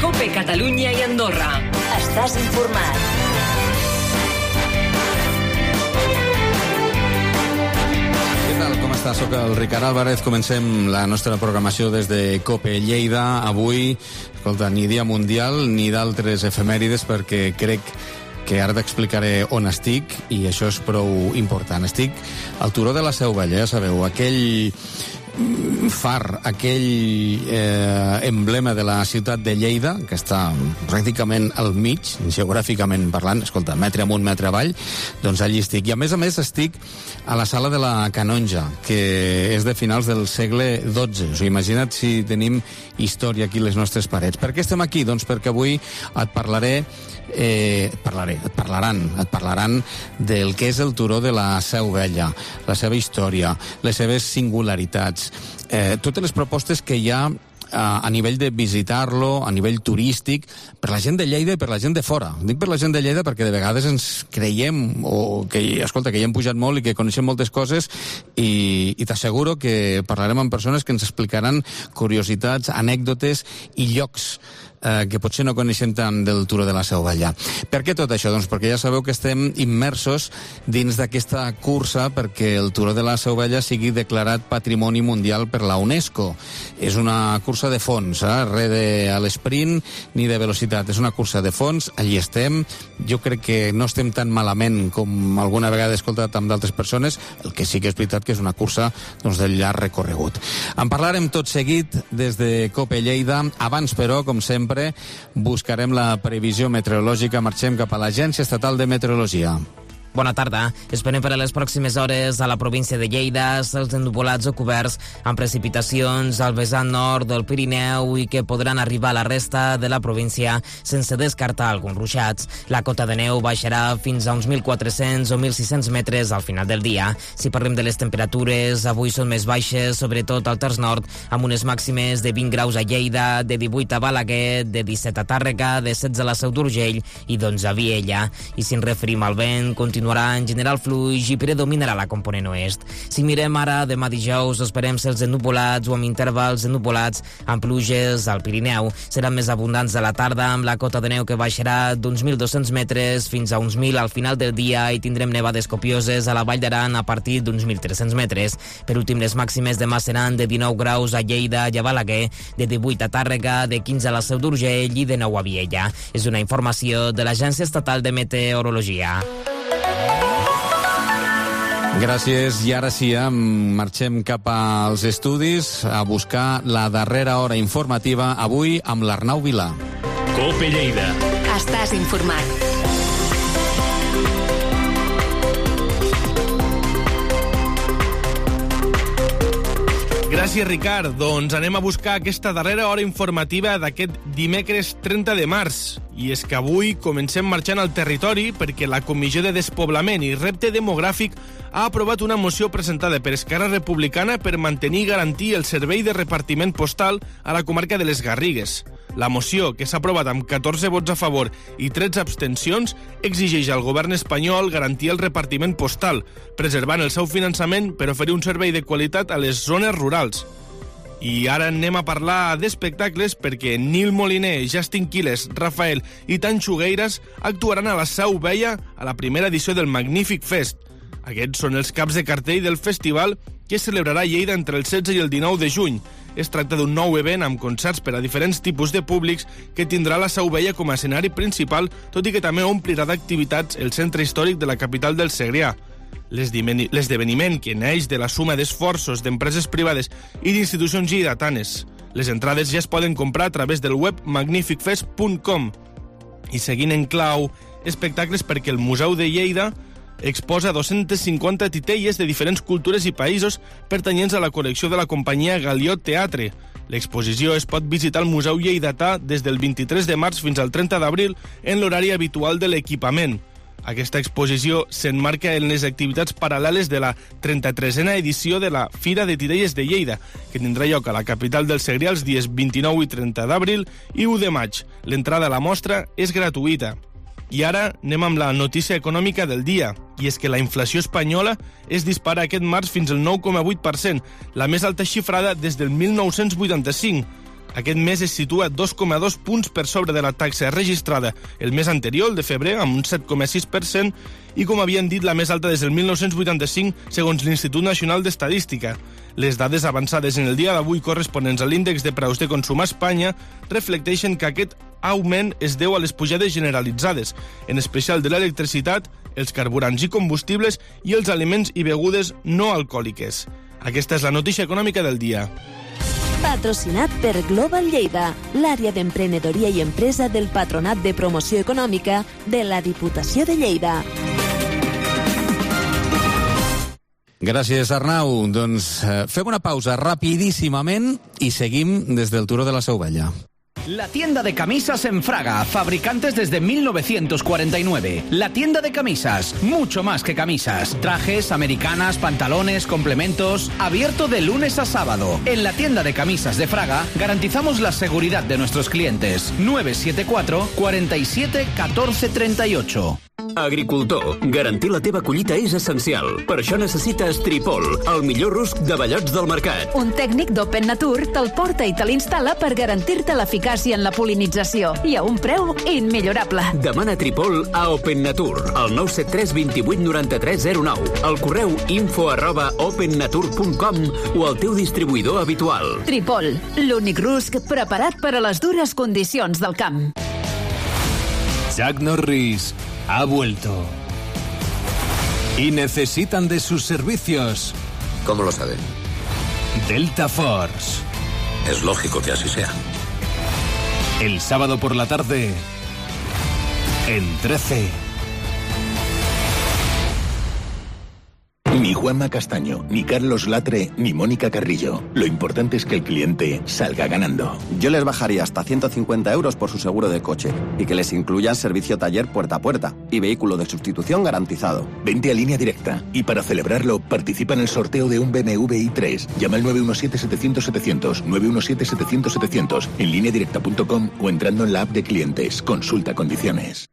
COPE Catalunya i Andorra. Estàs informat. Què tal? Com està? Soc el Ricard Álvarez. Comencem la nostra programació des de COPE Lleida. Avui, escolta, ni Dia Mundial ni d'altres efemèrides, perquè crec que ara t'explicaré on estic, i això és prou important. Estic al Turó de la Seu Vella, ja sabeu, aquell far, aquell emblema de la ciutat de Lleida, que està pràcticament al mig, geogràficament parlant, escolta, metre amunt, metre avall, doncs allí estic. I a més estic a la sala de la Canonja, que és de finals del segle XII. Us imagina't si tenim història aquí a les nostres parets. Per què estem aquí? Doncs perquè avui et parlaran del que és el Turó de la Seu Vella, la seva història, les seves singularitats, totes les propostes que hi ha a nivell de visitar-lo, a nivell turístic, per la gent de Lleida i per la gent de fora. Dic per la gent de Lleida perquè de vegades ens creiem que hi hem pujat molt i que coneixem moltes coses, i t'asseguro que parlarem amb persones que ens explicaran curiositats, anècdotes i llocs que potser no coneixem tant del Turó de la Seu Vella. Per què tot això? Doncs perquè ja sabeu que estem immersos dins d'aquesta cursa perquè el Turó de la Seu Vella sigui declarat Patrimoni Mundial per la UNESCO. És una cursa de fons, res a l'esprint ni de velocitat. És una cursa de fons, allí estem. Jo crec que no estem tan malament com alguna vegada he escoltat amb d'altres persones, el que sí que és veritat que és una cursa del llarg recorregut. En parlarem tot seguit des de COPE Lleida. Abans, però, com sempre, buscarem la previsió meteorològica. Marxem cap a l'Agència Estatal de Meteorologia. Bona tarda. Esperem per a les pròximes hores a la província de Lleida cels ennuvolats o coberts amb precipitacions al vessant nord del Pirineu i que podran arribar a la resta de la província sense descartar alguns ruixats. La cota de neu baixarà fins a uns 1.400 o 1.600 metres al final del dia. Si parlem de les temperatures, avui són més baixes, sobretot al terç nord, amb unes màximes de 20 graus a Lleida, de 18 a Balaguer, de 17 a Tàrrega, de 16 a la Seu d'Urgell i d'11 a Viella. I si ens referim al vent, continuarà en general fluix i predominarà la component oest. Si mirem ara, demà dijous, esperem cels ennuvolats o amb intervals ennuvolats amb pluges al Pirineu. Seran més abundants a la tarda, amb la cota de neu que baixarà d'uns 1.200 metres fins a uns 1.000 al final del dia, i tindrem nevades copioses a la Vall d'Aran a partir d'uns 1.300 metres. Per últim, les màximes demà seran de 19 graus a Lleida i a Balaguer, de 18 a Tàrrega, de 15 a la Seu d'Urgell i de 9 a Viella. És una informació de l'Agència Estatal de Meteorologia. Gràcies, i ara sí, marxem cap als estudis a buscar la darrera hora informativa, avui amb l'Arnau Vilà. COPE Lleida. Estàs informat. Gràcies, Ricard. Doncs anem a buscar aquesta darrera hora informativa d'aquest dimecres 30 de març. I és que avui comencem marxant al territori perquè la Comissió de Despoblament i Repte Demogràfic ha aprovat una moció presentada per Esquerra Republicana per mantenir i garantir el servei de repartiment postal a la comarca de les Garrigues. La moció, que s'ha aprovat amb 14 vots a favor i 13 abstencions, exigeix al govern espanyol garantir el repartiment postal, preservant el seu finançament per oferir un servei de qualitat a les zones rurals. I ara anem a parlar d'espectacles perquè Nil Moliner, Justin Quiles, Rafael i Tanxo Gueiras actuaran a la Seu Vella a la primera edició del Magnífic Fest. Aquests són els caps de cartell del festival que es celebrarà a Lleida entre el 16 i el 19 de juny. Es tracta d'un nou event amb concerts per a diferents tipus de públics que tindrà la Seu Vella com a escenari principal, tot i que també omplirà d'activitats el centre històric de la capital del Segrià. L'esdeveniment, que neix de la suma d'esforços d'empreses privades i d'institucions lleidatanes. Les entrades ja es poden comprar a través del web magnificfest.com. I seguint en clau, espectacles perquè el Museu de Lleida exposa 250 titelles de diferents cultures i països pertanyents a la col·lecció de la companyia Galiot Teatre. L'exposició es pot visitar al Museu Lleidatà des del 23 de març fins al 30 d'abril en l'horari habitual de l'equipament. Aquesta exposició s'emmarca en les activitats paral·leles de la 33a edició de la Fira de Titelles de Lleida, que tindrà lloc a la capital del Segrià els dies 29 i 30 d'abril i 1 de maig. L'entrada a la mostra és gratuïta. I ara anem amb la notícia econòmica del dia, i és que la inflació espanyola es dispara aquest març fins al 9,8%, la més alta xifrada des del 1985. Aquest mes es situa 2,2 punts per sobre de la taxa registrada el mes anterior, el de febrer, amb un 7,6%, i com havien dit, la més alta des del 1985, segons l'Institut Nacional d'Estadística. Les dades avançades en el dia d'avui corresponents a l'índex de preus de consum a Espanya reflecteixen que aquest augment es deu a les pujades generalitzades, en especial de l'electricitat, els carburants i combustibles i els aliments i begudes no alcohòliques. Aquesta és la notícia econòmica del dia. Patrocinat per Global Lleida, l'àrea d'emprenedoria i empresa del Patronat de Promoció Econòmica de la Diputació de Lleida. Gràcies, Arnau. Doncs fem una pausa rapidíssimament i seguim des del Turó de la Seu Vella. La tienda de camisas en Fraga, fabricantes desde 1949. La tienda de camisas, mucho más que camisas. Trajes, americanas, pantalones, complementos. Abierto de lunes a sábado. En la tienda de camisas de Fraga garantizamos la seguridad de nuestros clientes. 974 47 14 38. Agricultor, garantir la teva collita és essencial. Per això necessites Tripol, el millor rusc de ballots del mercat. Un tècnic d'Open Nature te'l porta i te l'instal·la per garantir-te l'eficàcia en la polinització i a un preu immillorable. Demana Tripol a Open Nature, al 973 28 93 09, al correu info@opennature.com o al teu distribuïdor habitual. Tripol, l'únic rusc preparat per a les dures condicions del camp. Chuck Norris ha vuelto. Y necesitan de sus servicios. ¿Cómo lo saben? Delta Force. Es lógico que así sea. El sábado por la tarde, en 13. Ni Juanma Castaño, ni Carlos Latre, ni Mónica Carrillo. Lo importante es que el cliente salga ganando. Yo les bajaría hasta 150 euros por su seguro de coche y que les incluyan servicio taller puerta a puerta y vehículo de sustitución garantizado. Vente a Línea Directa y para celebrarlo participa en el sorteo de un BMW i3. Llama al 917-700-700, 917-700-700 en lineadirecta.com o entrando en la app de clientes. Consulta condiciones.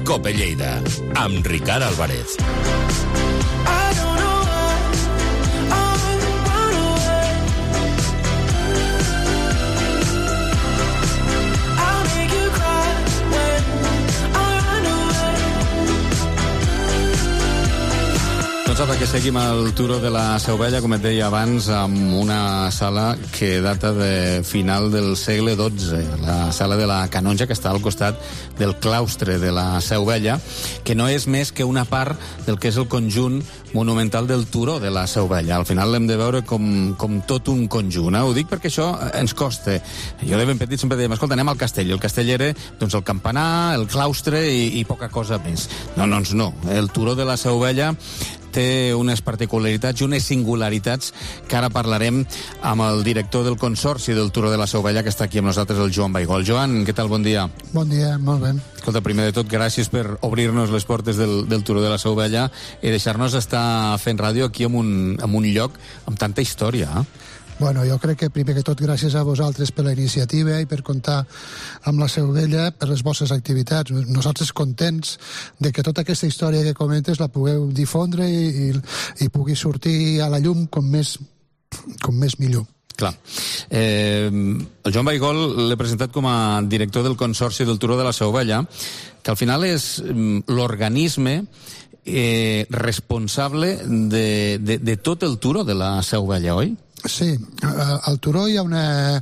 Cope Lleida, amb Ricard Álvarez. Doncs apa, que seguim al Turó de la Seu Vella, com et deia abans, amb una sala que data de final del segle XII, la sala de la Canonja, que està al costat del claustre de la Seu Vella, que no és més que una part del que és el conjunt monumental del Turó de la Seu Vella. Al final l'hem de veure com tot un conjunt. Ho dic perquè això ens costa. Jo de ben petit sempre dèiem, escolta, anem al castell. El castell era doncs, el campanar, el claustre i poca cosa més. No, doncs no. El Turó de la Seu Vella té unes particularitats i unes singularitats que ara parlarem amb el director del Consorci del Turó de la Seu Vella, que està aquí amb nosaltres, el Joan Baigol. Joan, què tal? Bon dia. Bon dia, molt bé. Escolta, primer de tot, gràcies per obrir-nos les portes del Turó de la Seu Vella i deixar-nos estar fent ràdio aquí en un lloc amb tanta història. Bueno, jo crec que primer que tot gràcies a vosaltres per la iniciativa i per comptar amb la Seu Vella per les vostres activitats. Nosaltres contents de que tota aquesta història que comentes la pugueu difondre i pugui sortir a la llum com més millor. Clar. El Joan Baigol l'he presentat com a director del Consorci del Turó de la Seu Vella, que al final és l'organisme responsable de tot el Turó de la Seu Vella, oi? Sí, al Turó hi ha una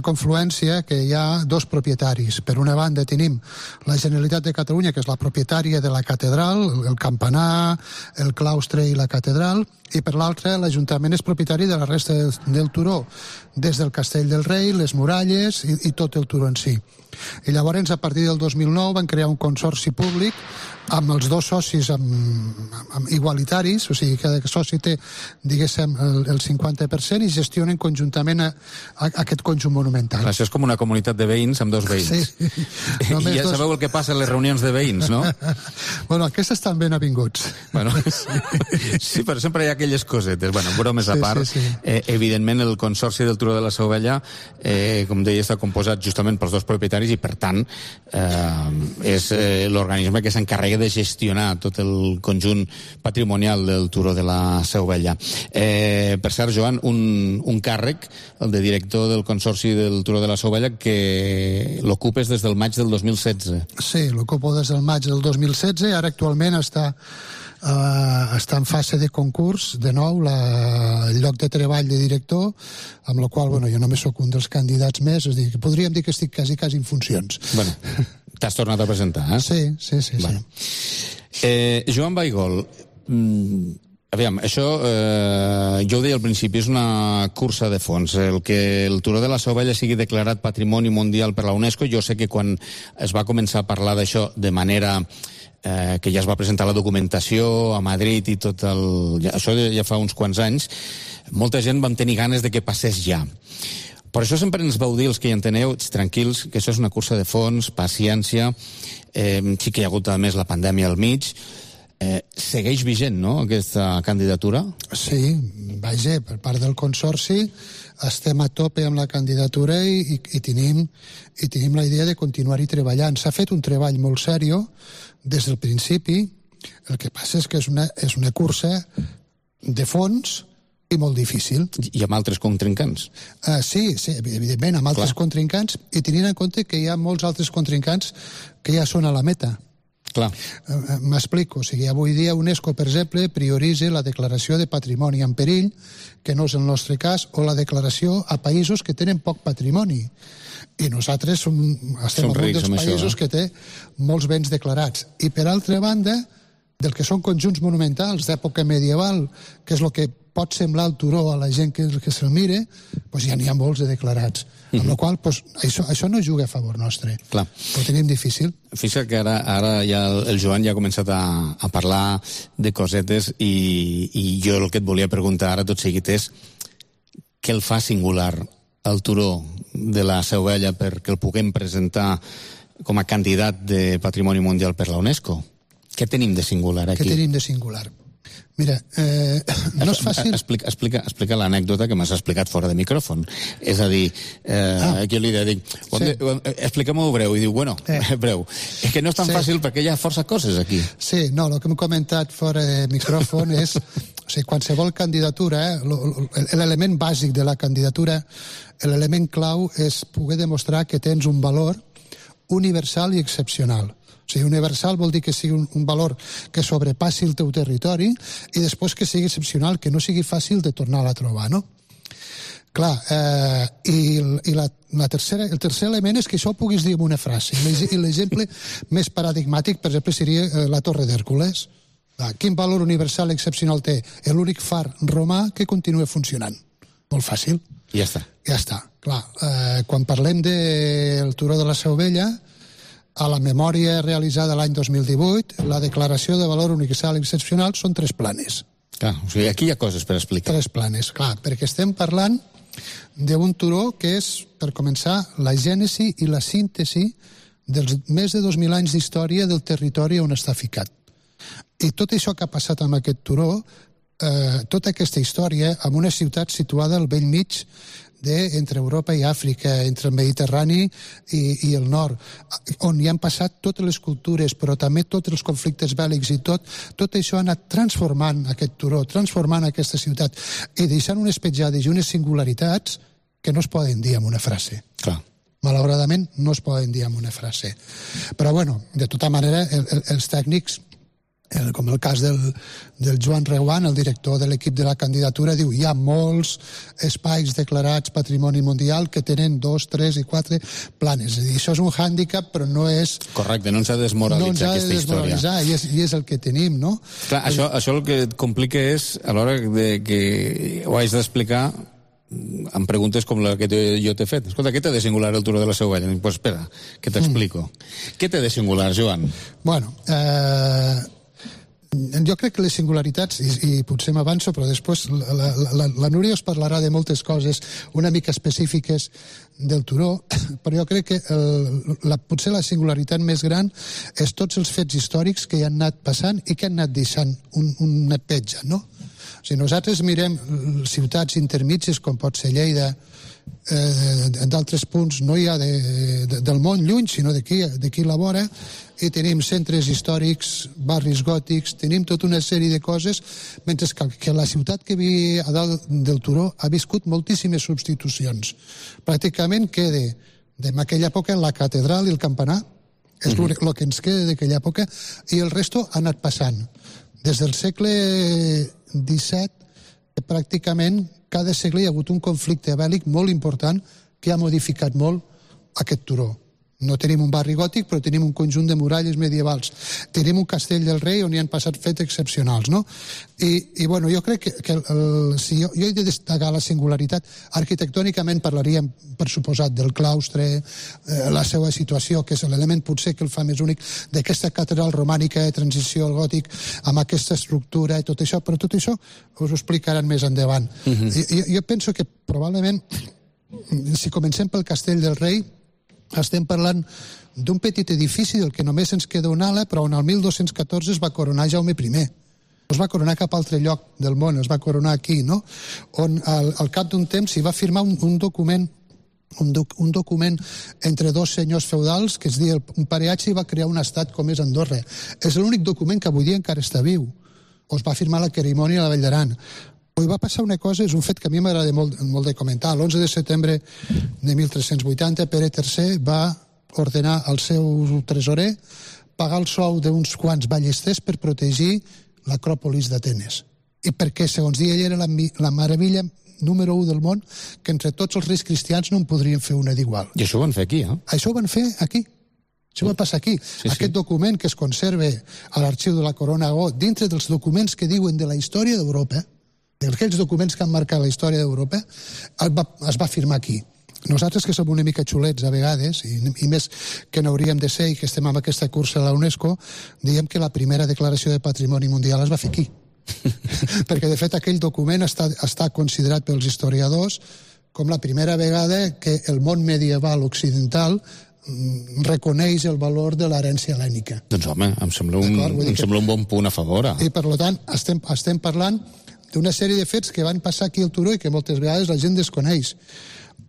confluència que hi ha dos propietaris. Per una banda tenim la Generalitat de Catalunya, que és la propietària de la catedral, el campanar, el claustre i la catedral, i per l'altra l'Ajuntament és propietari de la resta del Turó, des del Castell del Rei, les muralles i tot el Turó en si. I llavors, a partir del 2009, van crear un consorci públic amb els dos socis amb igualitaris, o sigui, cada soci té, diguéssim, el 50% i gestionen conjuntament aquest conjunt monumental. Això és com una comunitat de veïns amb dos veïns. Sí. I ja sabeu el que passa a les reunions de veïns, no? Bueno, aquestes estan ben avinguts. Bueno, sí, però sempre hi ha aquelles cosetes. Bueno, bromes a part. Sí. Evidentment, el Consorci del Turó de la Seu Vella, com deia, està composat justament pels dos propietaris i, per tant, és l'organisme que s'encarrega hagué de gestionar tot el conjunt patrimonial del Turó de la Seu Vella. Per cert, Joan, un càrrec, el de director del Consorci del Turó de la Seu Vella, que l'ocupes des del maig del 2016. Sí, l'ocupo des del maig del 2016, ara actualment està en fase de concurs, de nou, el lloc de treball de director, amb la qual, jo només sóc un dels candidats més, és a dir, podríem dir que estic quasi en funcions. Bueno, t'has tornat a presentar, eh? Sí. Bueno. Joan Baigol, aviam, això, jo ho deia al principi, és una cursa de fons. El que el Turó de la Seu Vella sigui declarat Patrimoni Mundial per la UNESCO, jo sé que quan es va començar a parlar d'això de manera que ja es va presentar la documentació a Madrid i tot això ja fa uns quants anys, molta gent vam tenir ganes de que passés ja. Per això sempre ens vau dir, els que hi enteneu, tranquils, que això és una cursa de fons, paciència, sí que hi ha hagut a més la pandèmia al mig. Segueix vigent, no?, aquesta candidatura? Sí, vaja, per part del Consorci estem a tope amb la candidatura i tenim la idea de continuar-hi treballant. S'ha fet un treball molt seriós des del principi. El que passa és que és una cursa de fons i molt difícil. I amb altres contrincants? Sí, evidentment, amb altres contrincants, i tenint en compte que hi ha molts altres contrincants que ja són a la meta. Clar. M'explico. O sigui, avui dia UNESCO, per exemple, prioritza la declaració de patrimoni en perill, que no és el nostre cas, o la declaració a països que tenen poc patrimoni. I nosaltres estem en un dels països que té molts béns declarats. I, per altra banda, del que són conjunts monumentals d'època medieval, que és el que pot semblar el Turó a la gent que se'l mire, doncs ja n'hi ha molts de declarats. Amb la qual cosa, això no juga a favor nostre. Clar. Ho tenim difícil. Fixa't que ara ja el Joan ja ha començat a parlar de cosetes i jo el que et volia preguntar ara tot seguit és què el fa singular al Turó de la Seu Vella perquè el puguem presentar com a candidat de Patrimoni Mundial per la UNESCO? Què tenim de singular aquí? Què tenim de singular? Mira, no és fàcil... Explica l'anècdota que m'has explicat fora de micròfon. És a dir, aquí li dic, explica-m'ho breu. I diu, bueno, breu. És que no és tan fàcil perquè hi ha força coses aquí. Sí, no, el que hem comentat fora de micròfon és, o sigui, qualsevol candidatura, l'element bàsic de la candidatura, l'element clau és poder demostrar que tens un valor universal i excepcional. O sigui, universal vol dir que sigui un valor que sobrepassi el teu territori i després que sigui excepcional, que no sigui fàcil de tornar a trobar, no? Clar, i el tercer element és que això ho puguis dir en una frase. I l'exemple més paradigmàtic, per exemple, seria la Torre d'Hèrcules. Quin valor universal excepcional té? L'únic far romà que continua funcionant. Molt fàcil. I ja està. Ja està, clar. Quan parlem del Turó de la Seu Vella, a la memòria realitzada l'any 2018, la declaració de valor universal excepcional són 3 planes. Clar, o sigui, aquí hi ha coses per explicar. 3 planes, clar, perquè estem parlant d'un turó que és, per començar, la gènesi i la síntesi dels més de 2.000 anys d'història del territori on està ficat. I tot això que ha passat amb aquest turó, tota aquesta història, amb una ciutat situada al vell mig entre Europa i Àfrica, entre el Mediterrani i el nord, on hi han passat totes les cultures, però també tots els conflictes bèl·lics i tot això ha anat transformant aquest turó, transformant aquesta ciutat i deixant unes petjades i unes singularitats que no es poden dir amb una frase. Clar. Malauradament no es poden dir amb una frase. Però, bueno, de tota manera, els tècnics, com el cas del Joan Reguant, el director de l'equip de la candidatura, diu hi ha molts espais declarats Patrimoni Mundial que tenen 2, 3 i 4 planes. És a dir, això és un hàndicap, però no és... Correcte, no ens ha de desmoralitzar aquesta història. I és el que tenim, no? Clar, això el que et complica és, a l'hora que ho haig d'explicar, em preguntes com la que jo t'he fet. Escolta, què té de singular el Turó de la Seu Vella? Doncs espera, que t'explico. Què té de singular, Joan? Bueno, jo crec que les singularitats, i potser m'avanço, però després la Núria us parlarà de moltes coses una mica específiques del Turó, però jo crec que potser la singularitat més gran és tots els fets històrics que hi han anat passant i que han anat deixant una petja, no? O sigui, nosaltres mirem ciutats intermitges com pot ser Lleida, d'altres punts no hi ha del món lluny, sinó d'aquí a la vora, i tenim centres històrics, barris gòtics, tenim tota una sèrie de coses, mentre que la ciutat que vi a dalt del turó ha viscut moltíssimes substitucions. Pràcticament queda d'aquella època la catedral i el campanar, és el que ens queda d'aquella època, i el resto ha anat passant. Des del segle XVII, pràcticament cada segle hi ha hagut un conflicte bèl·lic molt important que ha modificat molt aquest turó. No tenim un barri gòtic, però tenim un conjunt de muralles medievals. Tenim un castell del rei on hi han passat fets excepcionals, no? I bueno, jo crec que si jo he de destacar la singularitat, arquitectònicament parlaríem, per suposat, del claustre, la seva situació, que és l'element potser que el fa més únic, d'aquesta catedral romànica de transició al gòtic, amb aquesta estructura i tot això, però tot això us ho explicaran més endavant. Jo penso que probablement, si comencem pel castell del rei, estem parlant d'un petit edifici del que només ens queda una ala, però on el 1214 es va coronar Jaume I. No es va coronar cap altre lloc del món, es va coronar aquí, no? On al cap d'un temps s'hi va firmar un document entre dos senyors feudals que es deia un pareatge, i va crear un estat com és Andorra. És l'únic document que avui dia encara està viu. O es va firmar la querimònia a la Vall d'Aran. Avui va passar una cosa, és un fet que a mi m'agrada molt de comentar. L'11 de setembre de 1380, Pere III va ordenar al seu tresorer pagar el sou d'uns quants ballesters per protegir l'acròpolis d'Atenes. I perquè, segons dia, ell era la meravella número 1 del món, que entre tots els reis cristians no en podrien fer una d'igual. I això ho van fer aquí, eh? Això ho van fer aquí. Això va passar aquí. Aquest document que es conserva a l'arxiu de la Corona Aragó, dintre dels documents que diuen de la història d'Europa, d'aquells documents que han marcat la història d'Europa, es va firmar aquí. Nosaltres, que som una mica xulets a vegades, i més que n'hauríem de ser, i que estem amb aquesta cursa a la UNESCO, diem que la primera declaració de patrimoni mundial es va fer aquí. Perquè, de fet, aquell document està considerat pels historiadors com la primera vegada que el món medieval occidental reconeix el valor de l'herència hel·lènica. Doncs home, em sembla un bon punt a favor. I per tant, estem parlant d'una sèrie de fets que van passar aquí al turó i que moltes vegades la gent desconeix.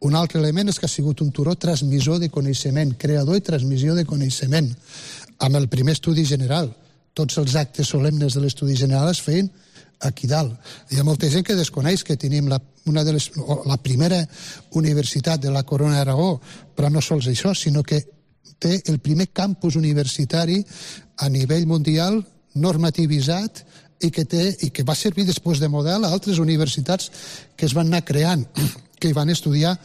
Un altre element és que ha sigut un turó transmissor de coneixement, creador i transmissió de coneixement. Amb el primer estudi general, tots els actes solemnes de l'estudi general es feien aquí dalt. Hi ha molta gent que desconeix que tenim la primera universitat de la Corona d'Aragó, però no sols això, sinó que té el primer campus universitari a nivell mundial normativitzat i que va servir després de model a altres universitats que es van anar creant, que hi van estudiar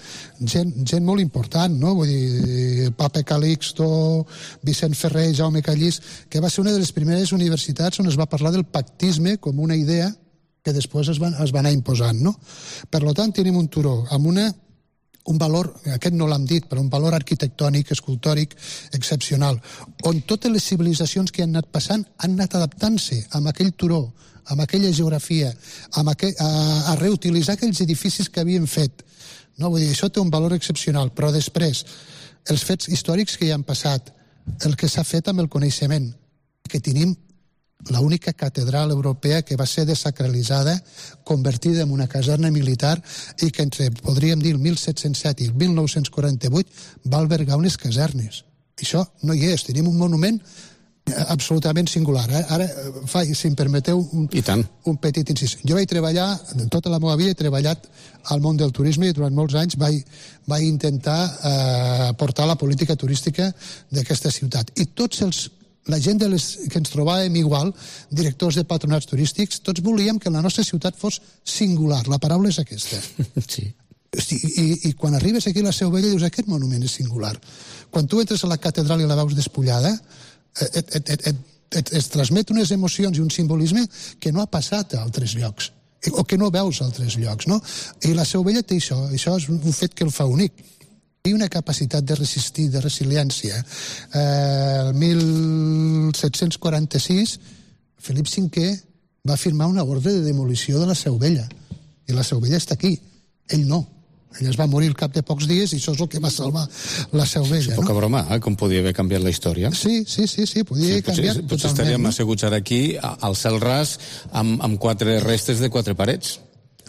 gent molt important, no? Vull dir, Papa Calixto, Vicent Ferrer, Jaume Callís, que va ser una de les primeres universitats on es va parlar del pactisme com una idea que després es va anar imposant, no? Per tant, tenim un turó amb un valor, aquest no l'hem dit, però un valor arquitectònic, escultòric excepcional, on totes les civilitzacions que han anat passant han anat adaptant-se amb aquell turó, amb aquella geografia, a reutilitzar aquells edificis que havien fet. No, vull dir, això té un valor excepcional, però després, els fets històrics que hi han passat, el que s'ha fet amb el coneixement, que tenim l'única catedral europea que va ser desacralitzada, convertida en una caserna militar i que entre, podríem dir, el 1707 i el 1948 va albergar unes casernes. Això no hi és. Tenim un monument absolutament singular. Ara, si em permeteu un petit incís. Jo vaig treballar, tota la meva vida he treballat al món del turisme i durant molts anys vaig intentar portar la política turística d'aquesta ciutat. I la gent que ens trobàvem igual, directors de patronats turístics, tots volíem que la nostra ciutat fos singular. La paraula és aquesta. Sí. I quan arribes aquí a la Seu Vella dius, aquest monument és singular. Quan tu entres a la catedral i la veus despullada, et transmet unes emocions i un simbolisme que no ha passat a altres llocs, o que no veus a altres llocs, no? I la Seu Vella té això és un fet que el fa únic. Hi ha una capacitat de resistir, de resiliència. El 1746, Felip V va firmar una ordre de demolició de la Seu Vella. I la Seu Vella està aquí. Ell no. Ell es va morir al cap de pocs dies i això és el que va salvar la Seu Vella. És poca broma, com podia haver canviat la història. Sí, podia haver canviat totalment. Potser estaríem asseguts ara aquí, al cel ras, amb 4 restes de 4 parets.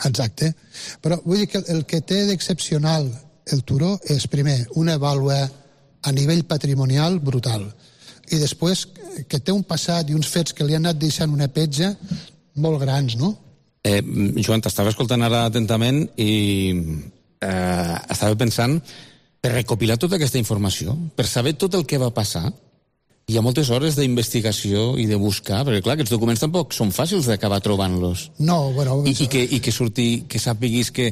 Exacte. Però vull dir que el que té d'excepcional el Turó és, primer, una vàlua a nivell patrimonial brutal, i després que té un passat i uns fets que li han anat deixant una petja molt grans, no? Joan, t'estava escoltant ara atentament i estava pensant, per recopilar tota aquesta informació, per saber tot el que va passar, hi ha moltes hores d'investigació i de buscar, perquè clar, aquests documents tampoc són fàcils d'acabar trobant-los. No, bueno... I que surti, que sàpiguis que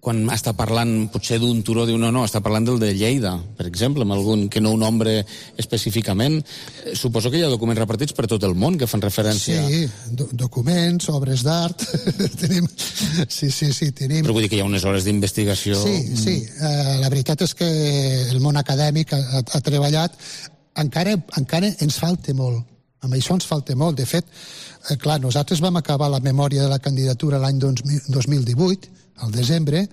quan està parlant potser d'un turó, diu no, està parlant del de Lleida, per exemple, amb algun que no ho nombre específicament. Suposo que hi ha documents repartits per tot el món que fan referència... Sí, documents, obres d'art, tenim... Sí, tenim... Però vull dir que hi ha unes hores d'investigació... Sí, la veritat és que el món acadèmic ha treballat. Encara ens falta molt. Amb això ens falta molt. De fet, clar, nosaltres vam acabar la memòria de la candidatura l'any 2018, al desembre,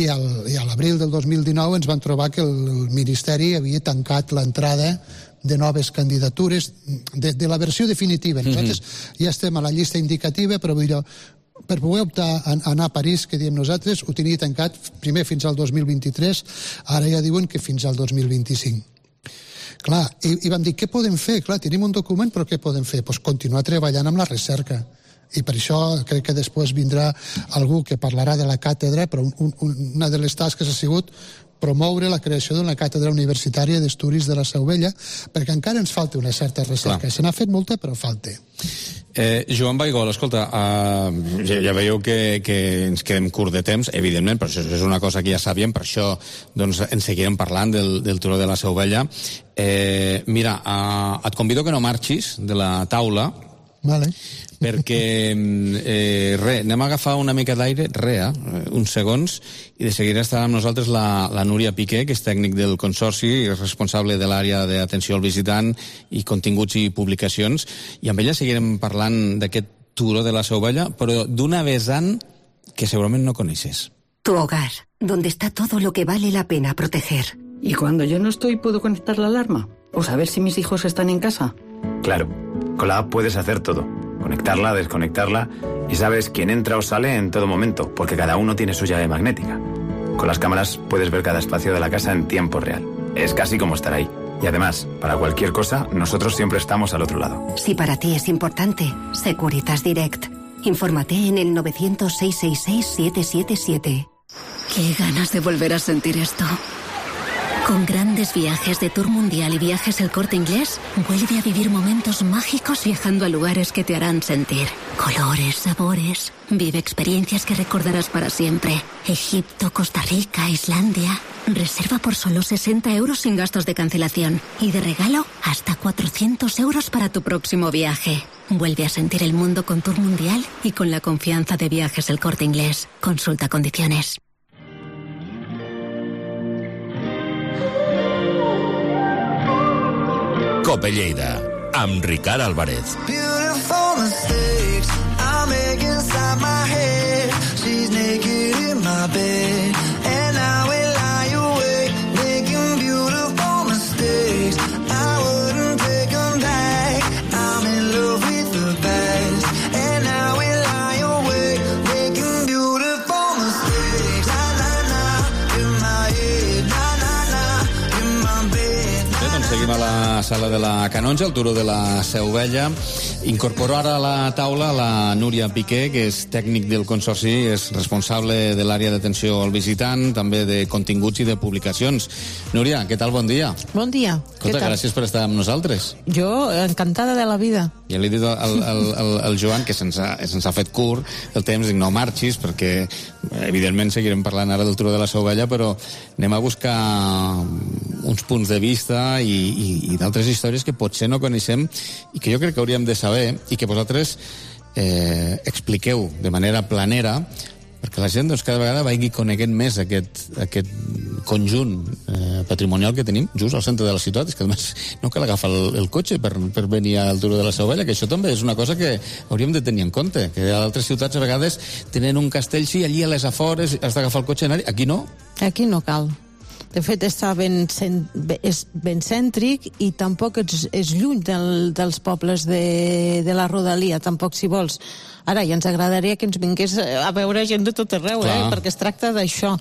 i a l'abril del 2019 ens van trobar que el Ministeri havia tancat l'entrada de noves candidatures de la versió definitiva. Nosaltres ja estem a la llista indicativa, però per poder optar a anar a París, que diem nosaltres, ho tenia tancat primer fins al 2023, ara ja diuen que fins al 2025. Clar, i vam dir, què podem fer? Clar, tenim un document, però què podem fer? Doncs continuar treballant amb la recerca. I per això crec que després vindrà algú que parlarà de la càtedra, però una de les tasques ha sigut promoure la creació d'una càtedra universitària d'estudis de la Seu Vella, perquè encara ens falta una certa recerca. Se n'ha fet molta, però falta. Joan Baigol, escolta, ja veieu que ens quedem curt de temps, evidentment, però això és una cosa que ja sabíem, per això doncs, en seguirem parlant del turó de la Seu Vella. Mira, et convido que no marxis de la taula, vale, perquè anem a agafar una mica d'aire, uns segons, i de seguida estarà amb nosaltres la Núria Piqué, que és tècnic del Consorci i responsable de l'àrea d'atenció al visitant i continguts i publicacions, i amb ella seguirem parlant d'aquest turó de la Seu Vella, però d'una vessant que segurament no coneixes. Tu hogar, donde está todo lo que vale la pena proteger. ¿Y cuando yo no estoy puedo conectar la alarma? ¿O saber si mis hijos están en casa? Claro, con la app puedes hacer todo. Conectarla, desconectarla, y sabes quién entra o sale en todo momento, porque cada uno tiene su llave magnética. Con las cámaras puedes ver cada espacio de la casa en tiempo real. Es casi como estar ahí. Y además, para cualquier cosa, nosotros siempre estamos al otro lado. Si para ti es importante, Securitas Direct. Infórmate en el 900-666-777. Qué ganas de volver a sentir esto. Con grandes viajes de Tour Mundial y Viajes El Corte Inglés, vuelve a vivir momentos mágicos viajando a lugares que te harán sentir. Colores, sabores. Vive experiencias que recordarás para siempre. Egipto, Costa Rica, Islandia. Reserva por solo 60 € sin gastos de cancelación. Y de regalo, hasta 400 € para tu próximo viaje. Vuelve a sentir el mundo con Tour Mundial y con la confianza de Viajes El Corte Inglés. Consulta condiciones. Cope Lleida, amb Ricard Álvarez. Beautiful mistakes I make inside my head. She's naked in my bed, and I will lie awake, making beautiful mistakes. I wouldn't take them back. I'm in love with the past, and I will lie awake, making beautiful mistakes. Na na na, in my head, na na na, in my bed. Doncs seguim a la sala de la Canonja, al turó de la Seu Vella. Incorporo ara a la taula la Núria Piqué, que és tècnic del Consorci, és responsable de l'àrea d'atenció al visitant, també de continguts i de publicacions. Núria, què tal? Bon dia. Bon dia. Escolta, gràcies per estar amb nosaltres. Jo, encantada de la vida. Ja li he dit al Joan, que se'ns ha fet curt el temps, dic, no marxis, perquè evidentment seguirem parlant ara del turó de la Seu Vella, però anem a buscar uns punts de vista i d'altres històries que potser no coneixem i que jo crec que hauríem de saber i que vosaltres expliqueu de manera planera perquè la gent doncs, cada vegada vagi coneguent més aquest conjunt patrimonial que tenim just al centre de la ciutat. És que només no cal agafar el cotxe per venir al turó de la Seu Vella, que això també és una cosa que hauríem de tenir en compte, que a altres ciutats a vegades tenen un castell, sí, allí a les afores has d'agafar el cotxe i anar-hi. Aquí no? Aquí no cal. De fet, és ben cèntric i tampoc és lluny dels pobles de la rodalia, tampoc si vols. Ara, ja ens agradaria que ens vingués a veure gent de tot arreu, perquè es tracta d'això.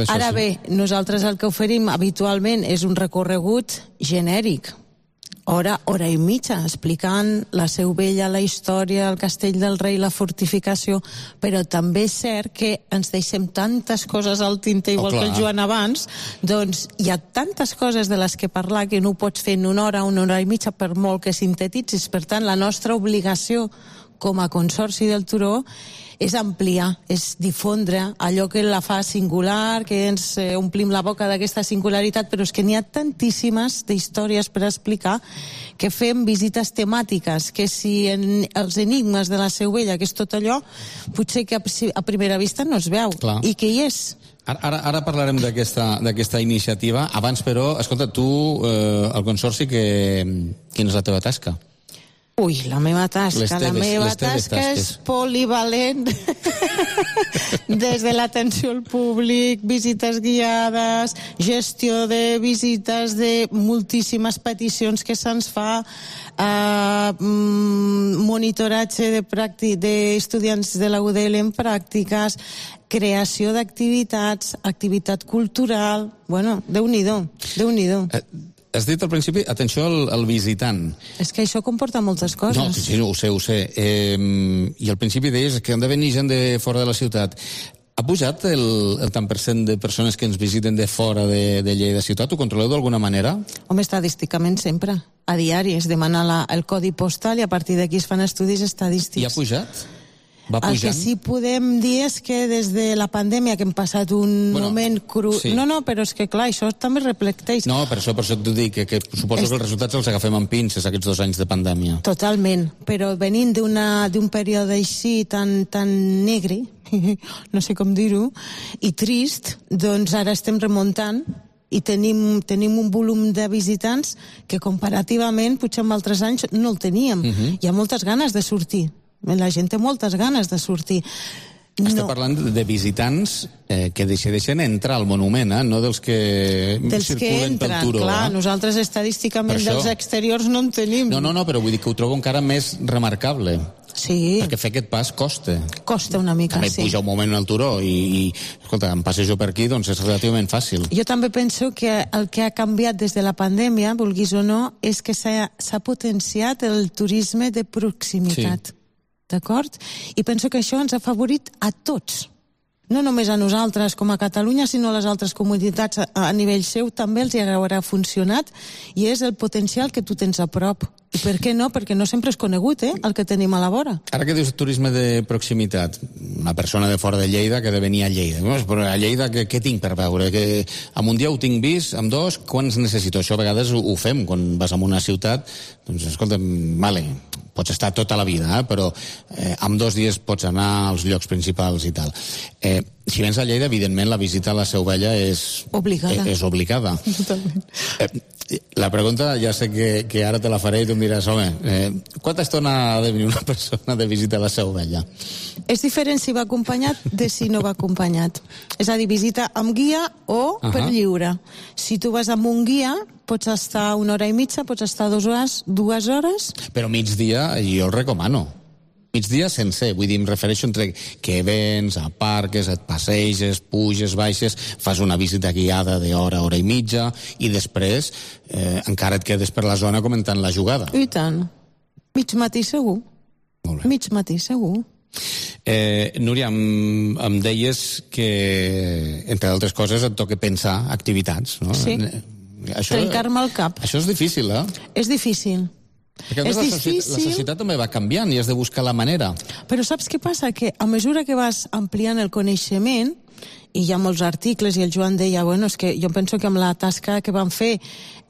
Ara bé, nosaltres el que oferim habitualment és un recorregut genèric. Hora i mitja, explicant la Seu Vella, la història, el Castell del Rei, la fortificació, però també és cert que ens deixem tantes coses al tinter, igual que el Joan abans, doncs hi ha tantes coses de les que parlar que no ho pots fer en una hora i mitja, per molt que sintetitzis. Per tant, la nostra obligació com a Consorci del Turó és ampliar, és difondre allò que la fa singular, que ens omplim la boca d'aquesta singularitat, però és que n'hi ha tantíssimes d'històries per explicar que fem visites temàtiques, que si els enigmes de la Seu Vella, que és tot allò, potser que a primera vista no es veu, i que hi és. Ara parlarem d'aquesta iniciativa. Abans, però, escolta, tu, el Consorci, quina és la teva tasca? Ui, la meva tasca és polivalent. Des de l'atenció al públic, visites guiades, gestió de visites, de moltíssimes peticions que se'ns fa, monitoratge d'estudiants de la UDL en pràctiques, creació d'activitats, activitat cultural. Bueno, Déu-n'hi-do. Has dit al principi, atenció al visitant. És que això comporta moltes coses. No, sí, ho sé. I al principi deies que han de venir gent de fora de la ciutat. Ha pujat el tant per cent de persones que ens visiten de fora de Lleida ciutat? Ho controleu d'alguna manera? Home, estadísticament sempre. A diari es demana el codi postal i a partir d'aquí es fan estudis estadístics. I ha pujat? Va pujant? El que sí podem dir és que des de la pandèmia, que hem passat un moment cru... Sí. No, però és que clar, això també reflecteix. No, per això t'ho dic, que suposo que els resultats els agafem amb pinces, aquests 2 anys de pandèmia. Totalment, però venint d'un període així tan negre, no sé com dir-ho, i trist, doncs ara estem remuntant i tenim un volum de visitants que comparativament, potser en altres anys, no el teníem. Hi ha moltes ganes de sortir. La gent té moltes ganes de sortir. Estem parlant de visitants que decideixen entrar al monument, no dels que circulen pel Turó. Clar, nosaltres estadísticament dels exteriors no en tenim. No, però vull dir que ho trobo encara més remarcable. Sí. Perquè fer aquest pas costa. Costa una mica, sí. També pujar un moment al Turó i escolta, em passejo per aquí, doncs és relativament fàcil. Jo també penso que el que ha canviat des de la pandèmia, vulguis o no, és que s'ha potenciat el turisme de proximitat. Sí. D'acord? I penso que això ens ha afavorit a tots. No només a nosaltres com a Catalunya, sinó a les altres comunitats a nivell seu també els hi haurà funcionat i és el potencial que tu tens a prop. I per què no? Perquè no sempre és conegut, el que tenim a la vora. Ara que dius turisme de proximitat, una persona de fora de Lleida que ha de venir a Lleida. Però a Lleida què tinc per veure? Que en un dia ho tinc vist, en 2, quants necessito? Això a vegades ho fem quan vas a una ciutat, doncs escolta'm, vale, pots estar tota la vida, però en 2 dies pots anar als llocs principals i tal. Si vens a Lleida, evidentment, la visita a la Seu Vella és obligada. Totalment. La pregunta, ja sé que ara te la faré i tu em diràs, home, quanta estona ha de venir una persona de visita a la Seu Vella? És diferent si va acompanyat de si no va acompanyat. És a dir, visita amb guia o per lliure. Si tu vas amb un guia, pots estar 1 hora i mitja, pots estar 2 hores. Però migdia jo el recomano. Migdia sencer, vull dir, em refereixo entre que vens, aparques, et passeges, puges, baixes, fas una visita guiada d'hora, hora i mitja, i després encara et quedes per la zona comentant la jugada. I tant. Mig matí segur. Mig matí segur. Núria, em deies que, entre altres coses, et toca pensar activitats, no? Sí. Trencar-me el cap. Això és difícil, És difícil. Perquè la societat també va canviant i has de buscar la manera. Però saps què passa? Que a mesura que vas ampliant el coneixement, i hi ha molts articles, i el Joan deia, bueno, és que jo penso que amb la tasca que van fer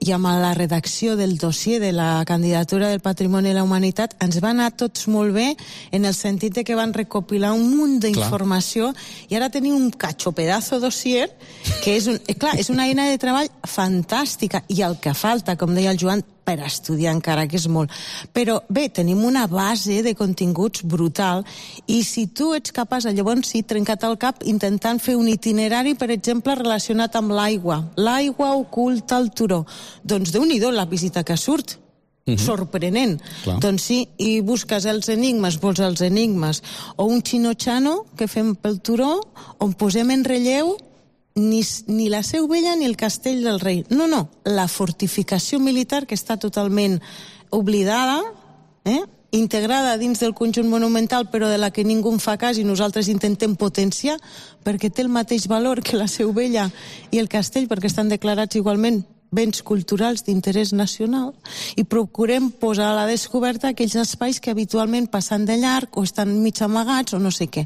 i amb la redacció del dossier de la candidatura del Patrimoni de la Humanitat ens va anar tots molt bé en el sentit de que van recopilar un munt d'informació i ara tenim un pedazo dossier que és una eina de treball fantàstica i el que falta, com deia el Joan, per estudiar encara, que és molt. Però bé, tenim una base de continguts brutal i si tu ets capaç, llavors sí, trencat el cap intentant fer un itinerari, per exemple, relacionat amb l'aigua. L'aigua oculta el turó. Doncs Déu-n'hi-do la visita que surt. Sorprenent. Clar. Doncs sí, i busques els enigmes, vols els enigmes. O un xino-xano que fem pel turó, on posem en relleu ni la Seu Vella ni el Castell del Rei. No, la fortificació militar que està totalment oblidada, integrada dins del conjunt monumental, però de la que ningú en fa cas i nosaltres intentem potenciar, perquè té el mateix valor que la Seu Vella i el Castell, perquè estan declarats igualment béns culturals d'interès nacional, i procurem posar a la descoberta aquells espais que habitualment passen de llarg o estan mig amagats o no sé què.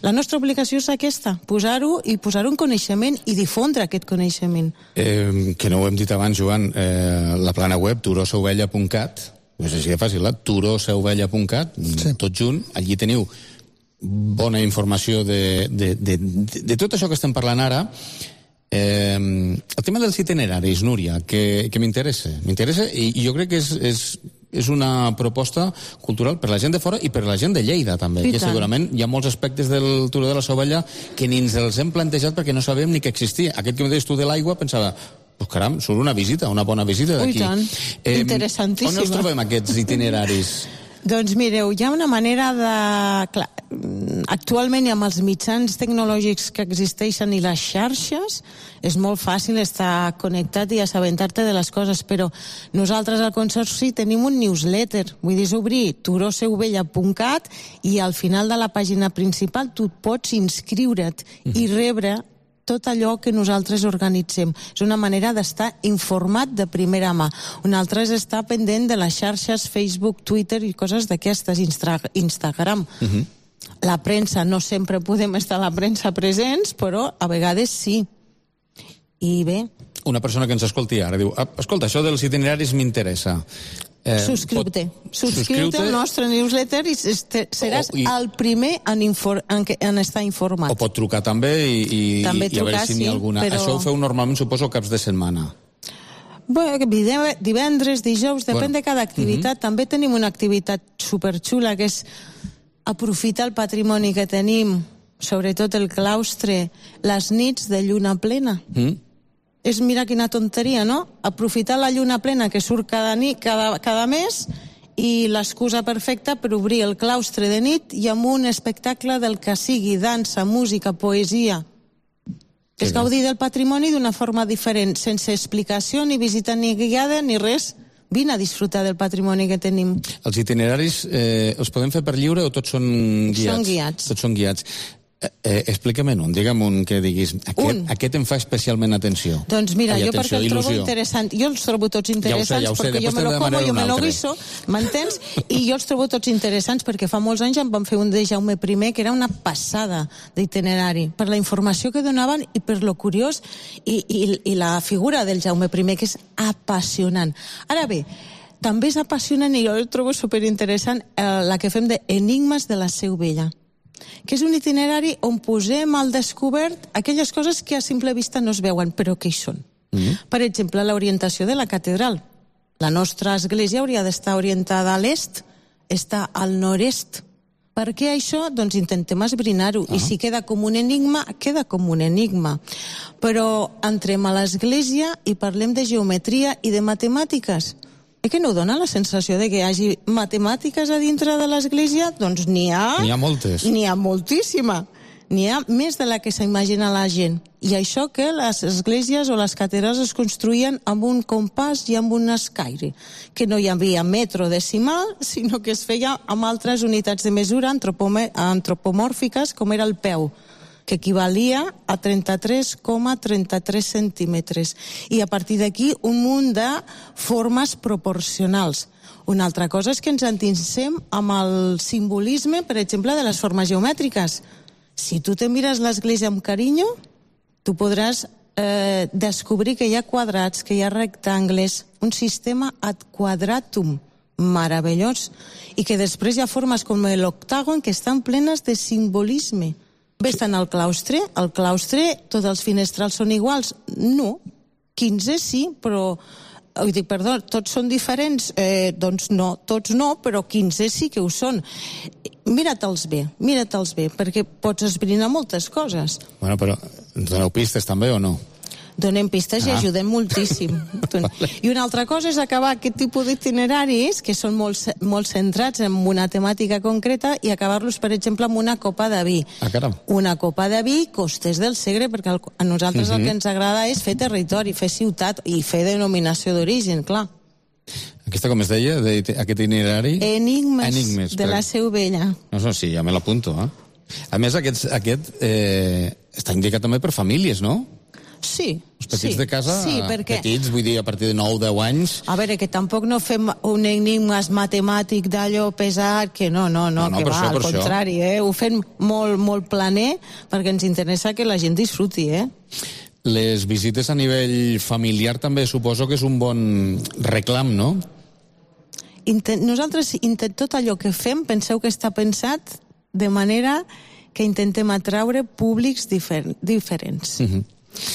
La nostra obligació és aquesta, posar-ho en coneixement i difondre aquest coneixement. Que no ho hem dit abans, Joan, la plana web turoseuvella.cat, no sé si és fàcil, turoseuvella.cat, tot junt, allí teniu bona informació de tot això que estem parlant ara. El tema dels itineraris, Núria, que m'interessa i jo crec que és una proposta cultural per la gent de fora i per la gent de Lleida també, que segurament hi ha molts aspectes del Turó de la Seu Vella que ni ens els hem plantejat perquè no sabem ni que existia. Aquest que em deies tu de l'aigua pensava, pues caram, surt una visita, una bona visita d'aquí. I tant, interessantíssima. On els trobem aquests itineraris? Doncs mireu, hi ha una manera de... Clar, actualment i amb els mitjans tecnològics que existeixen i les xarxes és molt fàcil estar connectat i assabentar-te de les coses, però nosaltres al Consorci tenim un newsletter, vull dir, és obrir turoseuvella.cat i al final de la pàgina principal tu pots inscriure't i rebre tot allò que nosaltres organitzem. És una manera d'estar informat de primera mà. Una altra és estar pendent de les xarxes Facebook, Twitter i coses d'aquestes, Instagram. La premsa, no sempre podem estar a la premsa presents, però a vegades sí. I bé... Una persona que ens escolti ara diu, escolta, això dels itineraris m'interessa. Subscriu-te al nostre newsletter i seràs el primer en estar informat. O pot trucar també i a veure si n'hi ha alguna. Això ho feu normalment, suposo, caps de setmana. Divendres, dijous, depèn de cada activitat. També tenim una activitat superxula que és aprofitar el patrimoni que tenim, sobretot el claustre, les nits de lluna plena. És, mira quina tonteria, no? Aprofitar la lluna plena que surt cada mes i l'excusa perfecta per obrir el claustre de nit i amb un espectacle del que sigui, dansa, música, poesia. És gaudir del patrimoni d'una forma diferent, sense explicació, ni visita ni guiada, ni res. Vine a disfrutar del patrimoni que tenim. Els itineraris els podem fer per lliure o tots són guiats? Són guiats. Tots són guiats. Explica-me'n un, digue'm un que diguis aquest em fa especialment atenció. Doncs mira, jo perquè el trobo interessant, jo els trobo tots interessants perquè jo me lo como, jo me lo guiso, m'entens? I jo els trobo tots interessants perquè fa molts anys em van fer un de Jaume I que era una passada d'itinerari, per la informació que donaven i per lo curiós i la figura del Jaume I que és apassionant. Ara bé, també és apassionant i jo el trobo superinteressant la que fem d'Enigmes de la Seu Vella, que és un itinerari on posem al descobert aquelles coses que a simple vista no es veuen, però que hi són. Per exemple, l'orientació de la catedral. La nostra església hauria d'estar orientada a l'est, està al nord-est. Per què això? Doncs intentem esbrinar-ho. I si queda com un enigma, queda com un enigma. Però entrem a l'església i parlem de geometria i de matemàtiques. Que no dona la sensació de que hi hagi matemàtiques a dintre de l'església? Doncs n'hi ha... N'hi ha moltes. N'hi ha moltíssima. N'hi ha més de la que s'imagina la gent. I això que les esglésies o les catedrals es construïen amb un compàs i amb un escaire, que no hi havia metro decimal, sinó que es feia amb altres unitats de mesura antropomòrfiques, com era el peu, que equivalia a 33,33 centímetres. I a partir d'aquí un munt de formes proporcionals. Una altra cosa és que ens endinsem amb el simbolisme, per exemple, de les formes geomètriques. Si tu te mires l'església amb carinyo, tu podràs descobrir que hi ha quadrats, que hi ha rectangles, un sistema ad quadratum meravellós, i que després hi ha formes com l'octàgon que estan plenes de simbolisme. Ves-te'n al claustre, tots els finestrals són iguals? No, 15 sí, però... Perdó, tots són diferents? Doncs no, tots no, però 15 sí que ho són. Mira-te'ls bé, perquè pots esbrinar moltes coses. Bueno, però Ens doneu pistes també o no? Donem pistes i ajudem moltíssim. I una altra cosa és acabar aquest tipus d'itineraris, que són molt centrats en una temàtica concreta, i acabar-los, per exemple, amb una copa de vi. Caram. Una copa de vi, Costes del Segre, perquè a nosaltres el que ens agrada és fer territori, fer ciutat i fer denominació d'origen, clar. Aquesta, com es deia, aquest itinerari? Enigmes de la Seu Vella. No, sí, ja me l'apunto. A més, aquest està indicat també per famílies, no? Sí. Els petits de casa, sí, perquè... petits, vull dir, a partir de 9-10 anys... A veure, que tampoc no fem un enigmes matemàtic d'allò pesat, que no, que va, al contrari, ho fem molt planer, perquè ens interessa que la gent disfruti, Les visites a nivell familiar també suposo que és un bon reclam, no? Nosaltres, tot allò que fem, penseu que està pensat de manera que intentem atraure públics diferents.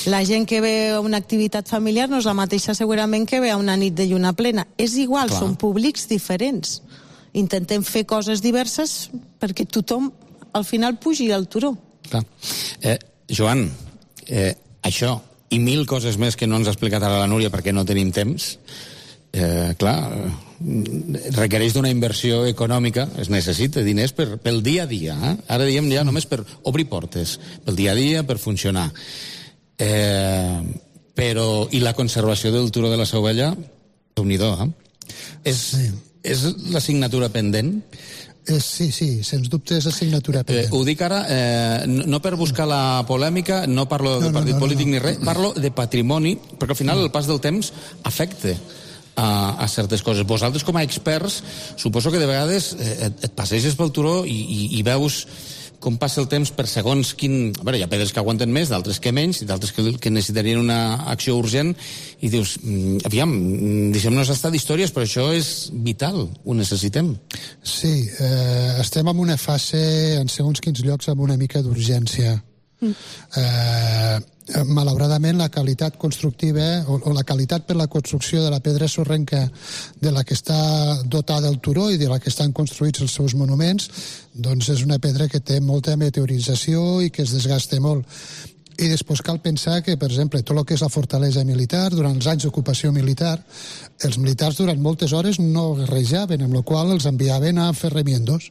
La gent que ve a una activitat familiar no és la mateixa segurament que ve a una nit de lluna plena. És igual, són públics diferents. Intentem fer coses diverses perquè tothom al final pugi al turó. Joan, això i 1000 coses més que no ens ha explicat ara la Núria perquè no tenim temps, requereix d'una inversió econòmica, es necessita diners pel dia a dia. Ara diem ja només per obrir portes, pel dia a dia, per funcionar. Però i la conservació del turó de la Seu Vella, déu-n'hi-do, és l'assignatura pendent? Sí, sens dubte és assignatura pendent. Ho dic ara, no per buscar la polèmica, no parlo de partit polític ni res, parlo de patrimoni, perquè al final el pas del temps afecta a certes coses. Vosaltres, com a experts, suposo que de vegades et passeges pel turó i veus com passa el temps per segons quin... A veure, hi ha pedres que aguanten més, d'altres que menys, i d'altres que necessitarien una acció urgent, i dius, aviam, deixem-nos estar d'històries, però això és vital, ho necessitem. Sí, estem en una fase, en segons quins llocs, amb una mica d'urgència. Malauradament la qualitat constructiva o la qualitat per la construcció de la pedra sorrenca de la que està dotada el turó i de la que estan construïts els seus monuments, doncs és una pedra que té molta meteorització i que es desgasta molt. I després cal pensar que, per exemple, tot el que és la fortalesa militar, durant els anys d'ocupació militar, els militars durant moltes hores no guerrejaven, amb la qual els enviaven a fer remiendos.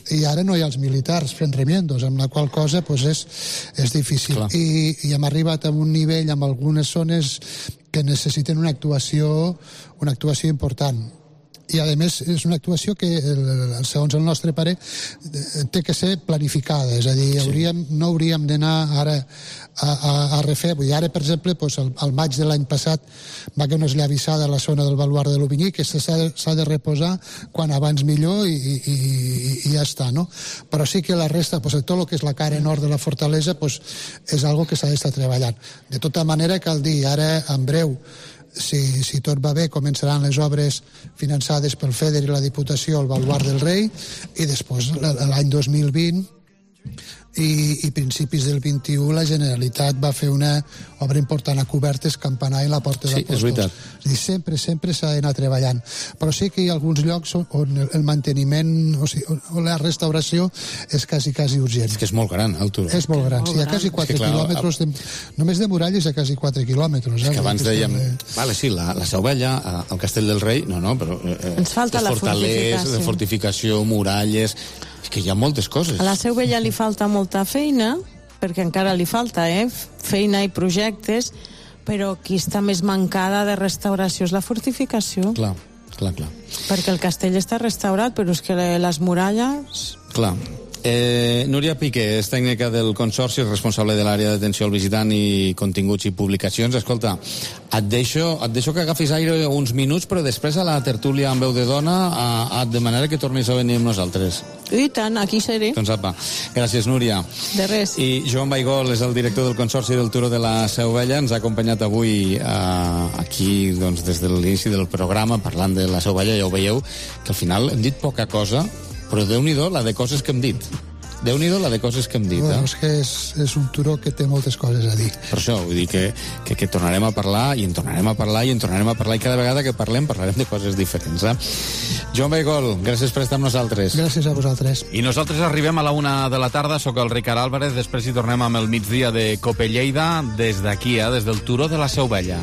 I ara no hi ha els militars fent remiendos, amb la qual cosa és difícil. I hem arribat a un nivell amb algunes zones que necessiten una actuació important. I, a més, és una actuació que, segons el nostre parer, té que ser planificada. És a dir, no hauríem d'anar ara a refer. Vull dir, ara, per exemple, al maig de l'any passat va haver una esllavissada a la zona del baluard de l'Ovinyí que s'ha de reposar quan abans millor i ja està, no? Però sí que la resta, tot el que és la cara nord de la fortalesa, és algo que s'ha d'estar treballant. De tota manera, cal dir, ara, en breu, si tot va bé, començaran les obres finançades pel FEDER i la Diputació al Baluard del Rei, i després l'any 2020 i principis del 21 la Generalitat va fer una obra important a cobertes, campanar i la Porta d'Apòstols. És veritat. Sempre s'ha d'anar treballant, però sí que hi ha alguns llocs on el manteniment o la restauració és quasi urgent. És que és molt gran el turó. És molt gran, hi ha quasi 4 quilòmetres només de muralles hi ha quasi 4 quilòmetres. És que abans dèiem, la Seu Vella, el Castell del Rei, però ens falta la fortificació, muralles, és que hi ha moltes coses. A la Seu Vella li falta molta feina, perquè encara li falta feina i projectes, però qui està més mancada de restauració és la fortificació. Clar. Perquè el castell està restaurat, però és que les muralles... Clar. Núria Piqué és tècnica del Consorci, responsable de l'àrea d'atenció al visitant i continguts i publicacions. Escolta, et deixo que agafis aire uns minuts, però després a la tertúlia amb veu de dona et demanaré que tornis a venir amb nosaltres. I tant, aquí seré. Doncs apa, gràcies Núria. De res. I Joan Baigol és el director del Consorci del Turó de la Seu Vella, ens ha acompanyat avui aquí des de l'inici del programa parlant de la Seu Vella. Ja ho veieu que al final hem dit poca cosa, però Déu-n'hi-do la de coses que hem dit. Déu-n'hi-do la de coses que hem dit. Bueno, és que és un turó que té moltes coses a dir. Per això, vull dir que tornarem a parlar, i en tornarem a parlar, i en tornarem a parlar, i cada vegada que parlarem de coses diferents. Joan Baigol, gràcies per estar amb nosaltres. Gràcies a vosaltres. I nosaltres arribem a la 1 de la tarda, sóc el Ricard Álvarez, després hi tornem amb el migdia de Cope Lleida, des d'aquí, des del turó de la Seu Vella.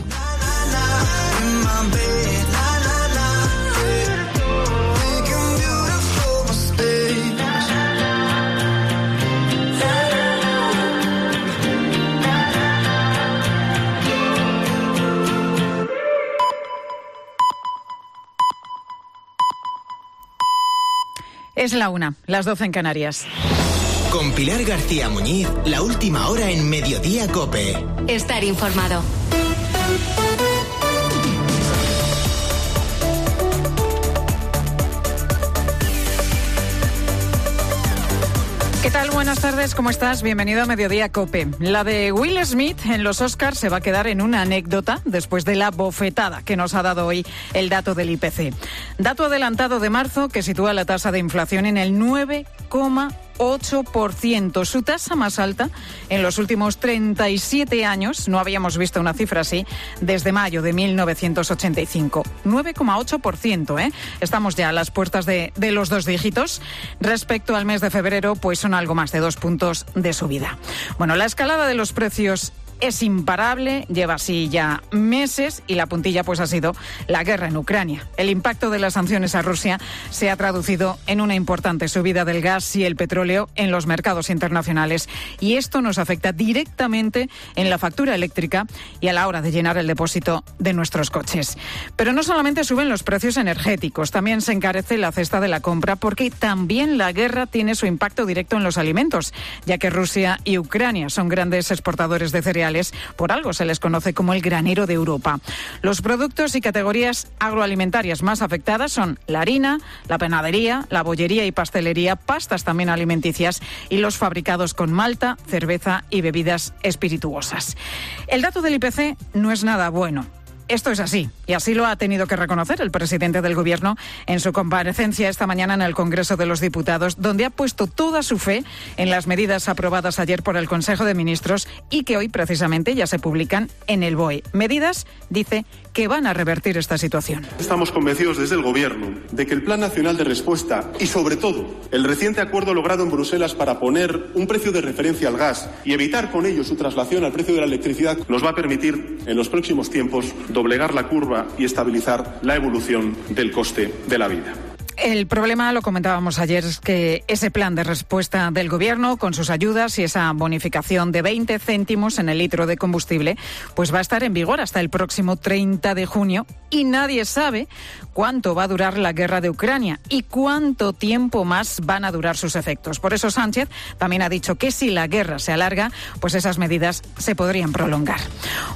Es la 1, las 12 en Canarias. Con Pilar García Muñiz, la última hora en Mediodía COPE. Estar informado. ¿Qué tal? Buenas tardes, ¿cómo estás? Bienvenido a Mediodía COPE. La de Will Smith en los Oscars se va a quedar en una anécdota después de la bofetada que nos ha dado hoy el dato del IPC. Dato adelantado de marzo que sitúa la tasa de inflación en el 9,8%, su tasa más alta en los últimos 37 años. No habíamos visto una cifra así desde mayo de 1985. 9,8%, ¿eh? Estamos ya a las puertas de los 2 dígitos. Respecto al mes de febrero, pues son algo más de 2 puntos de subida. Bueno, la escalada de los precios es imparable, lleva así ya meses y la puntilla pues ha sido la guerra en Ucrania. El impacto de las sanciones a Rusia se ha traducido en una importante subida del gas y el petróleo en los mercados internacionales y esto nos afecta directamente en la factura eléctrica y a la hora de llenar el depósito de nuestros coches. Pero no solamente suben los precios energéticos, también se encarece la cesta de la compra porque también la guerra tiene su impacto directo en los alimentos, ya que Rusia y Ucrania son grandes exportadores de cereales. Por algo se les conoce como el granero de Europa. Los productos y categorías agroalimentarias más afectadas son la harina, la panadería, la bollería y pastelería, pastas también alimenticias y los fabricados con malta, cerveza y bebidas espirituosas. El dato del IPC no es nada bueno. Esto es así, y así lo ha tenido que reconocer el presidente del Gobierno en su comparecencia esta mañana en el Congreso de los Diputados, donde ha puesto toda su fe en las medidas aprobadas ayer por el Consejo de Ministros y que hoy precisamente ya se publican en el BOE. Medidas, dice, que van a revertir esta situación. Estamos convencidos desde el Gobierno de que el Plan Nacional de Respuesta y, sobre todo, el reciente acuerdo logrado en Bruselas para poner un precio de referencia al gas y evitar con ello su traslación al precio de la electricidad nos va a permitir, en los próximos tiempos, doblegar la curva y estabilizar la evolución del coste de la vida. El problema, lo comentábamos ayer, es que ese plan de respuesta del Gobierno, con sus ayudas y esa bonificación de 20 céntimos en el litro de combustible, pues va a estar en vigor hasta el próximo 30 de junio y nadie sabe cuánto va a durar la guerra de Ucrania y cuánto tiempo más van a durar sus efectos. Por eso Sánchez también ha dicho que si la guerra se alarga, pues esas medidas se podrían prolongar.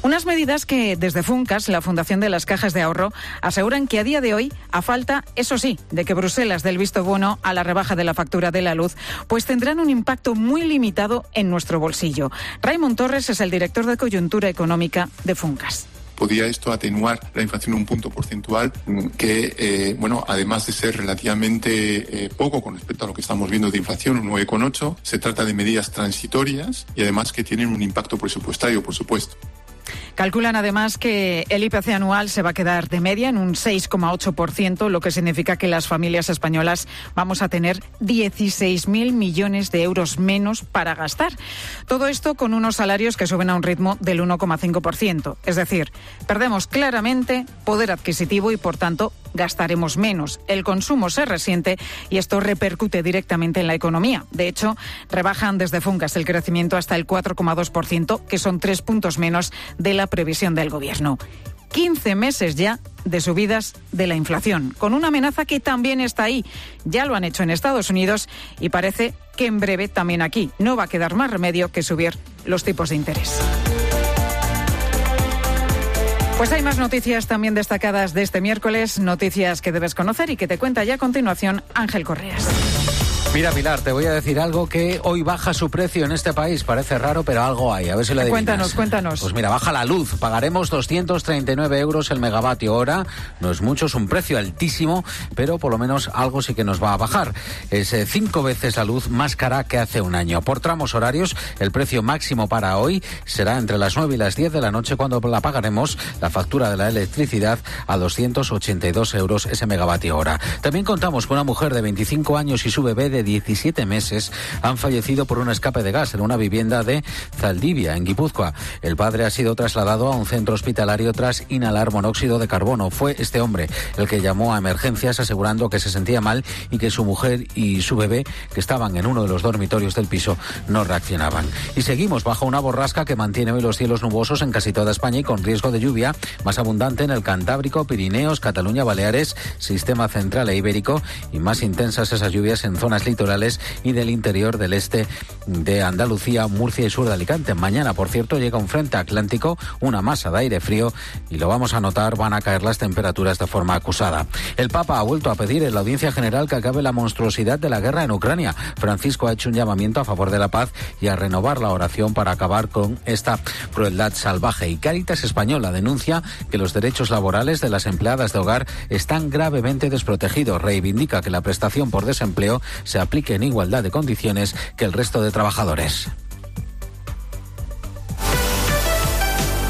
Unas medidas que desde Funcas, la Fundación de las Cajas de Ahorro, aseguran que a día de hoy, a falta, eso sí, de que Bruselas del visto bueno a la rebaja de la factura de la luz, pues tendrán un impacto muy limitado en nuestro bolsillo. Raimon Torres es el director de Coyuntura Económica de Funcas. Podría esto atenuar la inflación un punto porcentual que, además de ser relativamente poco con respecto a lo que estamos viendo de inflación, un 9,8, se trata de medidas transitorias y además que tienen un impacto presupuestario, por supuesto. Calculan además que el IPC anual se va a quedar de media en un 6,8%, lo que significa que las familias españolas vamos a tener 16.000 millones de euros menos para gastar. Todo esto con unos salarios que suben a un ritmo del 1,5%. Es decir, perdemos claramente poder adquisitivo y, por tanto, gastaremos menos. El consumo se resiente y esto repercute directamente en la economía. De hecho, rebajan desde Funcas el crecimiento hasta el 4,2%, que son 3 puntos menos de la previsión del Gobierno. 15 meses ya de subidas de la inflación, con una amenaza que también está ahí. Ya lo han hecho en Estados Unidos y parece que en breve también aquí. No va a quedar más remedio que subir los tipos de interés. Pues hay más noticias también destacadas de este miércoles, noticias que debes conocer y que te cuenta ya a continuación Ángel Correas. Mira, Pilar, te voy a decir algo que hoy baja su precio en este país. Parece raro, pero algo hay. A ver si lo adivinas. Cuéntanos. Pues mira, baja la luz. Pagaremos 239 euros el megavatio hora. No es mucho, es un precio altísimo, pero por lo menos algo sí que nos va a bajar. Es 5 veces la luz más cara que hace un año. Por tramos horarios, el precio máximo para hoy será entre las 9 y las 10 de la noche, cuando la pagaremos, la factura de la electricidad, a 282 euros ese megavatio hora. También contamos con una mujer de 25 años y su bebé de 17 meses han fallecido por un escape de gas en una vivienda de Zaldivia, en Guipúzcoa. El padre ha sido trasladado a un centro hospitalario tras inhalar monóxido de carbono. Fue este hombre el que llamó a emergencias asegurando que se sentía mal y que su mujer y su bebé, que estaban en uno de los dormitorios del piso, no reaccionaban. Y seguimos bajo una borrasca que mantiene hoy los cielos nubosos en casi toda España y con riesgo de lluvia más abundante en el Cantábrico, Pirineos, Cataluña, Baleares, Sistema Central e Ibérico, y más intensas esas lluvias en zonas litorales y del interior del este de Andalucía, Murcia y sur de Alicante. Mañana, por cierto, llega un frente atlántico, una masa de aire frío, y lo vamos a notar, van a caer las temperaturas de forma acusada. El Papa ha vuelto a pedir en la audiencia general que acabe la monstruosidad de la guerra en Ucrania. Francisco ha hecho un llamamiento a favor de la paz y a renovar la oración para acabar con esta crueldad salvaje. Y Cáritas Española denuncia que los derechos laborales de las empleadas de hogar están gravemente desprotegidos. Reivindica que la prestación por desempleo se aplique en igualdad de condiciones que el resto de trabajadores.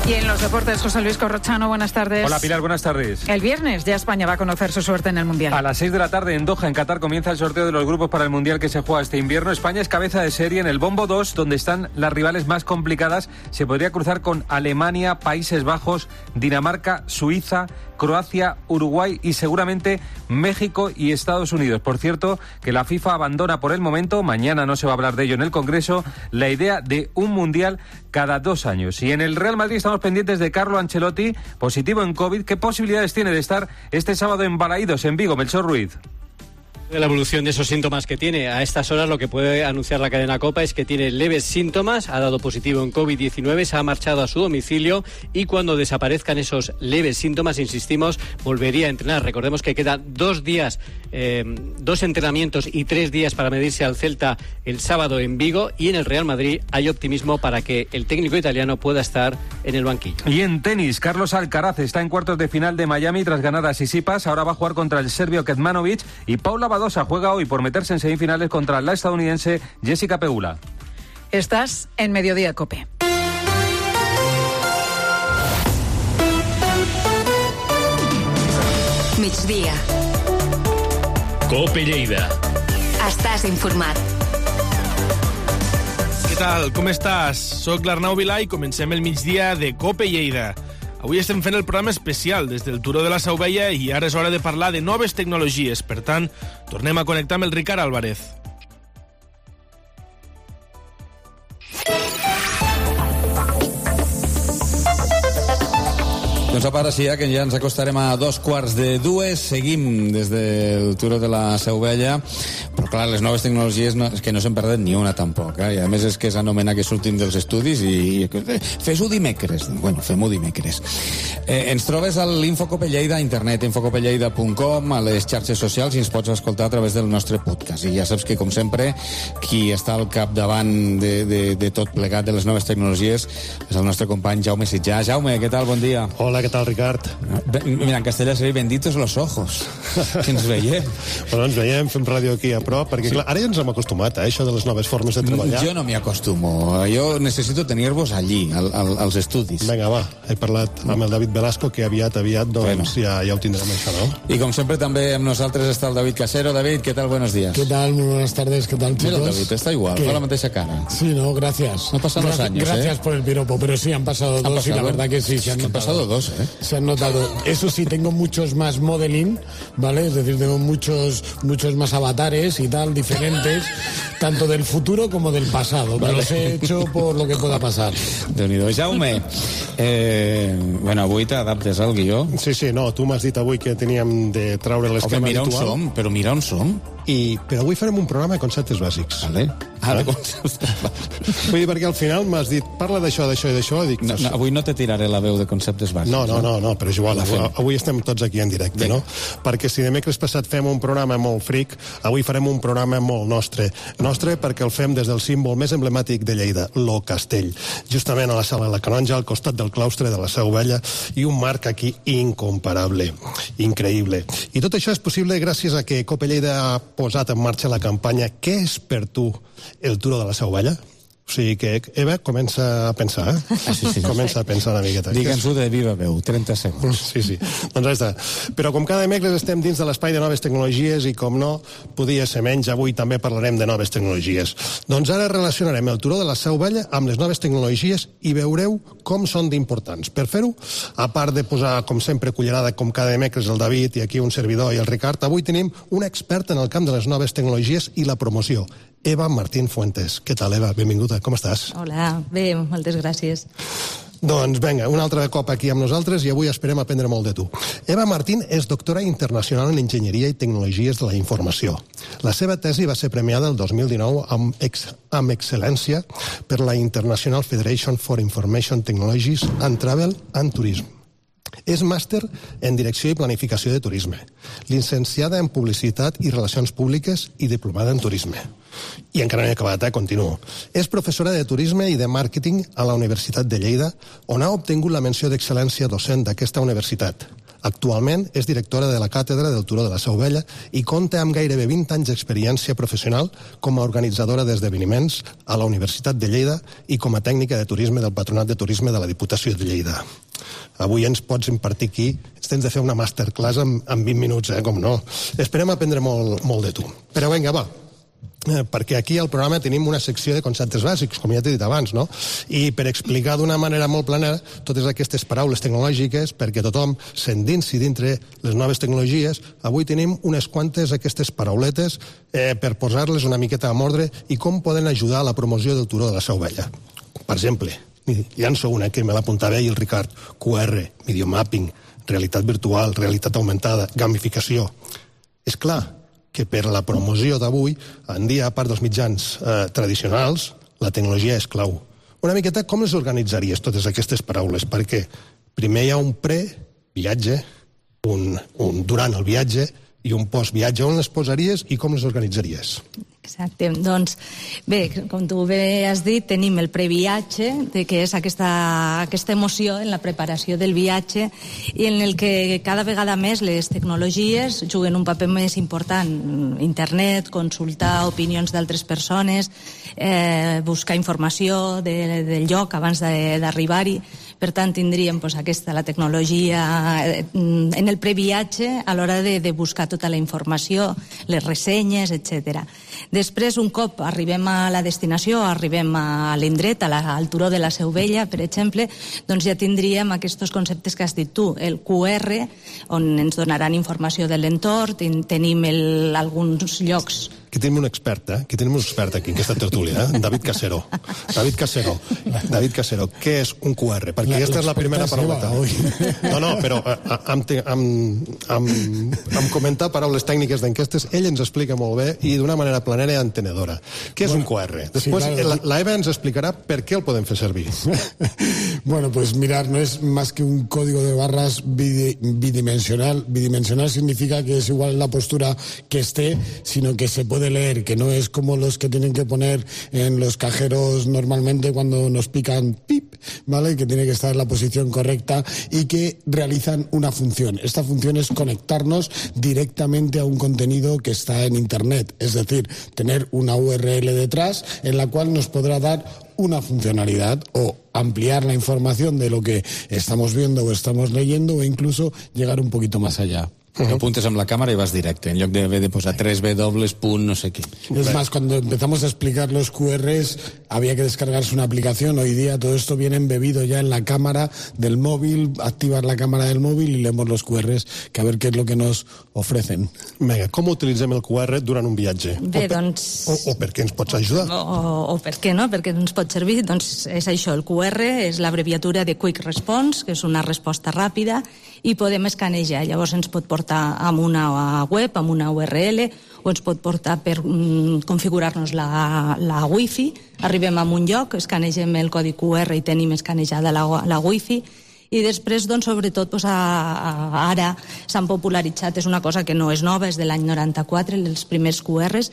Y en los deportes, José Luis Corrochano, buenas tardes. Hola Pilar, buenas tardes. El viernes ya España va a conocer su suerte en el Mundial. A las 6 de la tarde en Doha, en Qatar, comienza el sorteo de los grupos para el Mundial que se juega este invierno. España es cabeza de serie en el Bombo 2, donde están las rivales más complicadas. Se podría cruzar con Alemania, Países Bajos, Dinamarca, Suiza, Croacia, Uruguay y seguramente México y Estados Unidos. Por cierto, que la FIFA abandona por el momento, mañana no se va a hablar de ello en el Congreso, la idea de un Mundial cada 2 años. Y en el Real Madrid estamos pendientes de Carlo Ancelotti, positivo en COVID. ¿Qué posibilidades tiene de estar este sábado en Balaídos, en Vigo? Melchor Ruiz. De la evolución de esos síntomas que tiene. A estas horas lo que puede anunciar la cadena COPA es que tiene leves síntomas, ha dado positivo en COVID-19, se ha marchado a su domicilio y cuando desaparezcan esos leves síntomas, insistimos, volvería a entrenar. Recordemos que quedan 2 días, 2 entrenamientos y 3 días para medirse al Celta el sábado en Vigo, y en el Real Madrid hay optimismo para que el técnico italiano pueda estar en el banquillo. Y en tenis, Carlos Alcaraz está en cuartos de final de Miami tras ganar a Tsitsipas. Ahora va a jugar contra el serbio Kecmanovic, y Paula Badosa juega hoy por meterse en semifinales contra la estadounidense Jessica Pegula. Estás en Mediodía COPE. Migdia. COPE Lleida. Estàs informat. Què tal? Com estàs? Soc l'Arnau Vilà i comencem el migdia de COPE Lleida. Avui estem fent el programa especial des del Turó de la Seu Vella i ara és hora de parlar de noves tecnologies. Per tant, tornem a connectar amb el Ricard Álvarez. Doncs ara sí, que ja ens acostarem a 2:15. Seguim des del Turó de la Seu Vella, però clar, les noves tecnologies és que no se'n perden ni una tampoc, i a més és que s'anomena que sortim dels estudis i fes-ho dimecres. Bueno, fem-ho dimecres. Ens trobes a l'Infocope Lleida a internet, infocopelleida.com, a les xarxes socials, i ens pots escoltar a través del nostre podcast. I ja saps que, com sempre, qui està al capdavant de tot plegat de les noves tecnologies és el nostre company Jaume Sitjà. Jaume, què tal? Bon dia. Hola, ¿qué tal, Ricard? Mira, en castellà seria benditos los ojos, que ens veiem. Bueno, ens veiem, fem ràdio aquí a prop, perquè clar, ara ja ens hem acostumat a això de les noves formes de treballar. Jo no m'hi acostumo, jo necessito tenir-vos allí, als estudis. Vinga, va, he parlat amb el David Velasco, que aviat, doncs bueno, ja ho tindrem això, ¿no? I com sempre també amb nosaltres està el David Casero. David, ¿qué tal? Buenos días. ¿Qué tal? Muy buenas tardes, ¿qué tal, chicos? Mira, David, está igual, fa la mateixa cara. Sí, no, gracias. No pasan los años, Gracias por el piropo, pero sí, han pasado 2 y la verdad que sí, se han notado. Han pasado 2, Se han notado. Eso sí, tengo muchos más modeling, ¿vale? Es decir, tengo muchos más avatares y tal, diferentes, tanto del futuro como del pasado. Vale. Los he hecho por lo que pueda pasar. Déu-n'hi-do. Jaume, bueno, avui t'adaptes al guió. Sí, no, tu m'has dit avui que teníem de treure l'esquema habitual. Mira on som. Però avui farem un programa de conceptes bàsics. Vale. de conceptes bàsics. Vull dir, perquè al final m'has dit, parla d'això, d'això i d'això, dic... No, avui no te tiraré la veu de conceptes bàsics. No, però és igual, avui estem tots aquí en directe, no? Perquè si dimecres passat fem un programa molt fric, avui farem un programa molt nostre perquè el fem des del símbol més emblemàtic de Lleida, lo Castell, justament a la Sala de la Canonja, al costat del claustre de la Seu Vella, i un marc aquí incomparable, increïble. I tot això és possible gràcies a que Cope Lleida ha posat en marxa la campanya Què és per tu el Turó de la Seu Vella? O sigui que, Eva, comença a pensar, Sí. Comença a pensar una miqueta. Digue'ns-ho de viva veu, 30 segons. Sí. Doncs ja està. Però com cada dimecres estem dins de l'espai de noves tecnologies i, com no, podia ser menys, avui també parlarem de noves tecnologies. Doncs ara relacionarem el Turó de la Seu Vella amb les noves tecnologies i veureu com són d'importants. Per fer-ho, a part de posar, com sempre, cullerada com cada dimecres el David i aquí un servidor i el Ricard, avui tenim un expert en el camp de les noves tecnologies i la promoció, Eva Martín Fuentes. Què tal, Eva? Benvinguda, com estàs? Hola, bé, moltes gràcies. Doncs vinga, un altre cop aquí amb nosaltres i avui esperem aprendre molt de tu. Eva Martín és doctora internacional en Enginyeria i Tecnologies de la Informació. La seva tesi va ser premiada el 2019 amb excel·lència per la International Federation for Information Technologies and Travel and Tourism. És màster en Direcció i Planificació de Turisme, llicenciada en Publicitat i Relacions Públiques i diplomada en Turisme. I encara no he acabat, continuo. És professora de Turisme i de Màrqueting a la Universitat de Lleida, on ha obtingut la menció d'excel·lència docent d'aquesta universitat. Actualment és directora de la Càtedra del Turó de la Seu Vella i compta amb gairebé 20 anys d'experiència professional com a organitzadora d'esdeveniments a la Universitat de Lleida i com a tècnica de turisme del Patronat de Turisme de la Diputació de Lleida. Avui ens pots impartir aquí, tens de fer una masterclass en 20 minuts, com no. Esperem aprendre molt de tu. Però vinga, va, perquè aquí al programa tenim una secció de conceptes bàsics, com ja t'he dit abans, no? I per explicar d'una manera molt planera totes aquestes paraules tecnològiques, perquè tothom s'endinsi dintre les noves tecnologies, avui tenim unes quantes aquestes parauletes per posar-les una miqueta a mordre i com poden ajudar a la promoció del Turó de la Seu Vella. Per exemple, llanço una que me l'apuntava ahir el Ricard, QR, videomapping, realitat virtual, realitat augmentada, gamificació. És clar que per la promoció d'avui, en dia, a part dels mitjans tradicionals, la tecnologia és clau. Una miqueta, com les organitzaries, totes aquestes paraules? Perquè primer hi ha un pre-viatge, un durant el viatge i un post-viatge. On les posaries i com les organitzaries? Exacte, doncs bé, com tu bé has dit, tenim el previatge, que és aquesta emoció en la preparació del viatge i en el que cada vegada més les tecnologies juguen un paper més important. Internet, consultar opinions d'altres persones, buscar informació del lloc abans d'arribar-hi. Per tant, tindríem la tecnologia en el previatge a l'hora de buscar tota la informació, les ressenyes, etc. Després, un cop arribem a la destinació, arribem a l'indret, al Turó de la Seu Vella, per exemple, doncs ja tindríem aquests conceptes que has dit tu, el QR, on ens donaran informació de l'entorn, tenim alguns llocs. Aquí tenim un expert, Aquí tenim un expert aquí, en aquesta tertúlia, David Casero. David Casero, què és un QR? Perquè aquesta és la primera parauleta. No, però amb comentar paraules tècniques d'enquestes, ell ens explica molt bé i d'una manera planera i entenedora. Què és un QR? Després la Eva ens explicarà per què el podem fer servir. Bueno, pues mirar, no es más que un código de barras bidimensional. Bidimensional significa que es igual la postura que esté, sino que se puede leer, que no es como los que tienen que poner en los cajeros normalmente cuando nos pican pip, ¿vale? Que tiene que estar en la posición correcta y que realizan una función. Esta función es conectarnos directamente a un contenido que está en Internet, es decir, tener una URL detrás en la cual nos podrá dar una funcionalidad o ampliar la información de lo que estamos viendo o estamos leyendo o incluso llegar un poquito más allá. Lo apuntes amb la càmera i vas directe, en lloc de posar 3W, no sé qué. Es más, cuando empezamos a explicar los QRs, había que descargarse una aplicación. Hoy día todo esto viene embebido ya en la cámara del móvil, activar la cámara del móvil y leemos los QRs, que a ver qué es lo que nos ofrecen. Vinga, com utilitzem el QR durant un viatge? Bé, doncs... O per què ens pots ajudar? O per què no? Perquè ens pot servir. Doncs és això, el QR és l'abreviatura de Quick Response, que és una resposta ràpida, i podem escanejar. Llavors ens pot portar portar amb una web, amb una URL, o ens pot portar per configurar-nos la Wi-Fi. Arribem a un lloc, escanegem el codi QR i tenim escanejada la Wi-Fi. I després, doncs, sobretot, ara s'han popularitzat, és una cosa que no és nova, és de l'any 94, els primers QRs,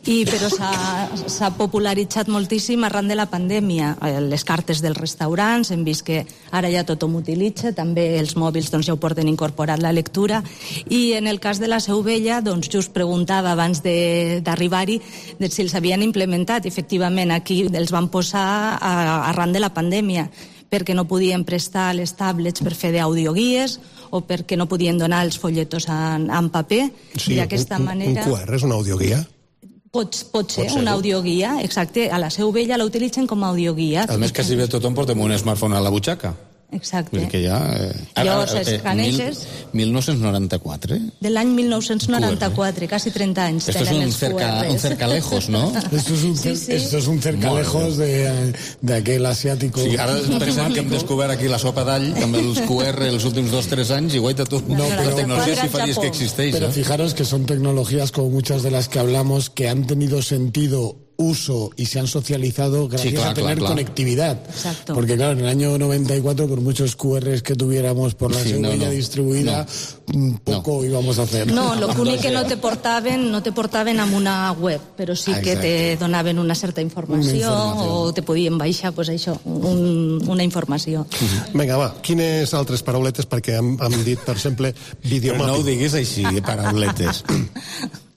però s'ha popularitzat moltíssim arran de la pandèmia. Les cartes dels restaurants, hem vist que ara ja tothom utilitza, també els mòbils ja ho porten incorporat la lectura, i en el cas de la Seu Vella, doncs, just preguntava abans d'arribar-hi si els havien implementat. Efectivament, aquí els van posar arran de la pandèmia, perquè no podien prestar les tablets per fer d'audioguies o perquè no podien donar els folletos en paper. Sí, d'aquesta manera... Un QR és una audioguia? Pot ser una audioguia, exacte. A la Seu Vella la utilitzen com a audioguia. A més que si ve tothom portem un smartphone a la butxaca. Exacte. Vull dir que ja... Llavors escaneges... 1994, De l'any 1994, quasi 30 anys tenen els QRs. Un cercalejos, ¿no? Esto es un cercalejos de aquel asiático. Sí, ara pensem que hem descobert aquí la sopa d'all amb els QR els últims 2-3 anys i guaita tu. No, la tecnología sí faries que existeix. Pero fijaros que son tecnologías como muchas de las que hablamos que han tenido sentido, uso y se han socializado gracias a tener conectividad. Exacto. Porque claro, en el año 94, por muchos QRs que tuviéramos por la seguridad distribuida, poco íbamos a hacer. No, lo únic que no te portaven amb una web, però sí que te donaven una certa informació o te podien baixar, pues això, una informació. Vinga, va, quines altres parauletes, perquè hem dit, per exemple, videomapping. No ho diguis així, parauletes.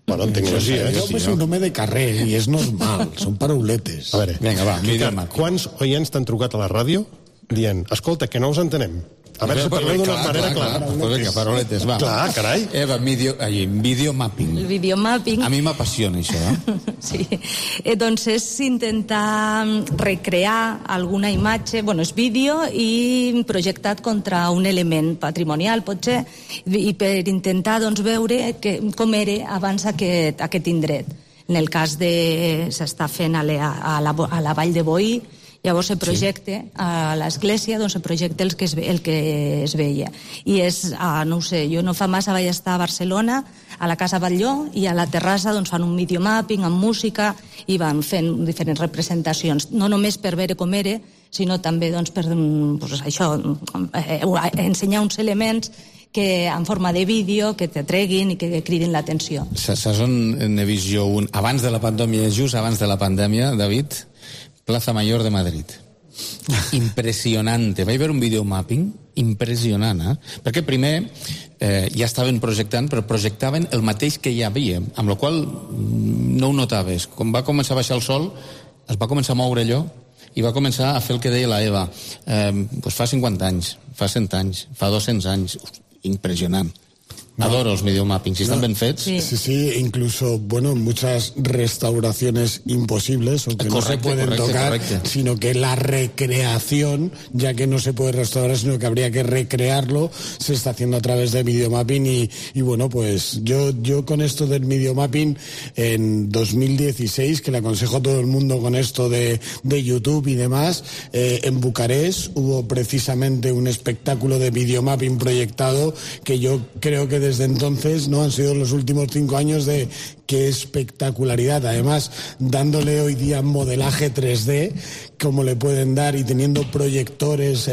Bueno, en tecnologia, es un nombre de carrer i és normal, són parauletes. A veure, vinga, va, quants oients t'han trucat a la ràdio dient, escolta, que no us entenem? A veure si parleu d'una manera clara. Pues vinga, parauletes, va. Clar, carai. Eva, videomapping. El videomapping... A mi m'apassiona això, Sí. Doncs és intentar recrear alguna imatge, és vídeo i projectat contra un element patrimonial, potser, i per intentar veure com era abans aquest indret. En el cas s'està fent a la Vall de Boí, llavors se projecta a l'església, se projecta el que es veia. I és, no ho sé, jo no fa massa vaig estar a Barcelona, a la Casa Batlló, i a la terrassa fan un videomapping amb música i van fent diferents representacions, no només per veure com era, sinó també per ensenyar uns elements que en forma de vídeo, que t'atreguin i que cridin l'atenció. Saps on n'he vist jo un? Abans de la pandèmia, just abans de la pandèmia, David, Plaza Mayor de Madrid. Impressionante. Vaig veure un videomapping impressionant, perquè primer ja estaven projectant, però projectaven el mateix que hi havia, amb la qual no ho notaves. Quan va començar a baixar el sol, es va començar a moure allò i va començar a fer el que deia la Eva. Fa 50 anys, fa 100 anys, fa 200 anys. Impressionant. Adoro los videomappings, si están bien fets. Sí, incluso, muchas restauraciones imposibles o que no se pueden tocar, sino que la recreación, ya que no se puede restaurar, sino que habría que recrearlo, se está haciendo a través de videomapping y pues yo con esto del videomapping en 2016, que le aconsejo a todo el mundo con esto de YouTube y demás, en Bucarest hubo precisamente un espectáculo de videomapping proyectado que yo creo que desde entonces no han sido los últimos 5 años de qué espectacularidad, además dándole hoy día modelaje 3D como le pueden dar y teniendo proyectores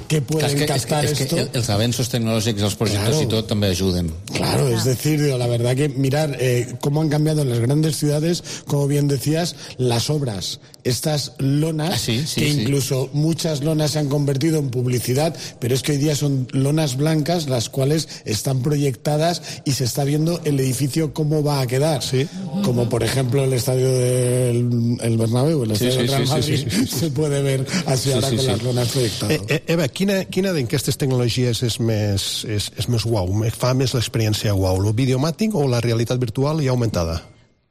que pueden captar esto. Es que els avenços tecnològics, els projectors y todo també ajuden. Claro, es decir, la verdad que mirar cómo han cambiado en las grandes ciudades, como bien decías, las obras, estas lonas, que incluso muchas lonas se han convertido en publicidad, pero es que hoy día son lonas blancas las cuales están proyectadas y se está viendo el edificio cómo va a quedar. Como por ejemplo el estadio del Bernabéu, el estadio del Real Madrid, se puede ver así ahora con las lonas proyectadas. Eva, quina d'aquestes tecnologies és més uau, fa més l'experiència uau, el videomapping o la realitat virtual i augmentada?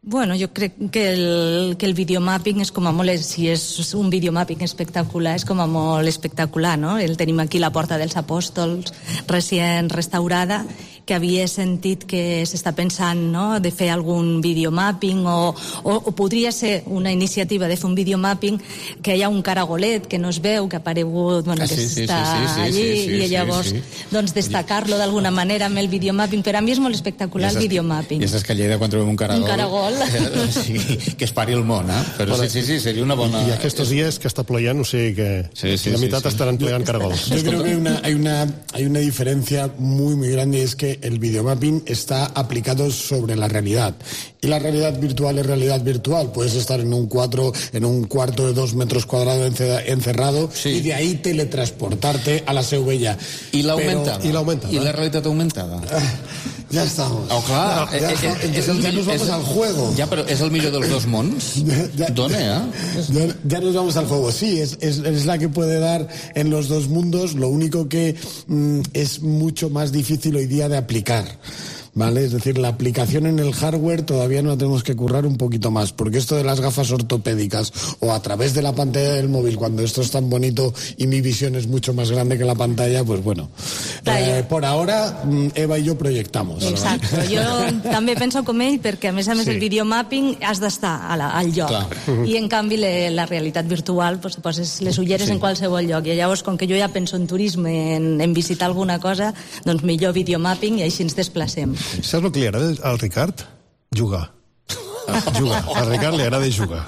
Jo crec que el videomapping és com a molt, si és un videomapping espectacular, és com a molt espectacular, no? El tenim aquí la Porta dels Apòstols recient restaurada que havia sentit que s'està pensant, no?, de fer algun videomapping o podria ser una iniciativa de fer un videomapping que hi ha un caragolet que no es veu, que ha aparegut, bueno, que està allí, i llavors doncs destacar-lo d'alguna manera amb el videomapping. Per a mi és molt espectacular el videomapping. I és que a Lleida quan trobem un caragol que es pari el món, però sí, seria una bona... I aquests dies que està ployant, o sigui que la mitad estaran plegant caragols. Yo creo que hay una diferencia muy grande, y es que el videomapping está aplicado sobre la realidad. Y la realidad virtual es realidad virtual. Puedes estar en un cuarto de 2 metros cuadrados encerrado y de ahí teletransportarte a la Seu Vella. I l'augmentada? I la realitat augmentada? Ya estamos. Oh, clar. Ya nos vamos al juego. Ya, pero ¿es el millor dels dos mons? Ya nos vamos al juego. Sí, es la que puede dar en los dos mundos. Lo único que es mucho más difícil hoy día de aplicar. ¿Vale? Es decir, la aplicación en el hardware todavía no la tenemos que currar un poquito más, porque esto de las gafas ortopédicas o a través de la pantalla del móvil, cuando esto es tan bonito y mi visión es mucho más grande que la pantalla, pues bueno, por ahora Eva i jo proyectamos. Exacte, jo també penso com ell, perquè a més el videomapping has d'estar al lloc. I en canvi la realitat virtual poses les ulleres en qualsevol lloc, i llavors com que jo ja penso en turisme, en visitar alguna cosa, doncs millor videomapping i així ens desplacem. Saps el que li agrada al Ricard? Jugar. Al Ricard li agrada jugar.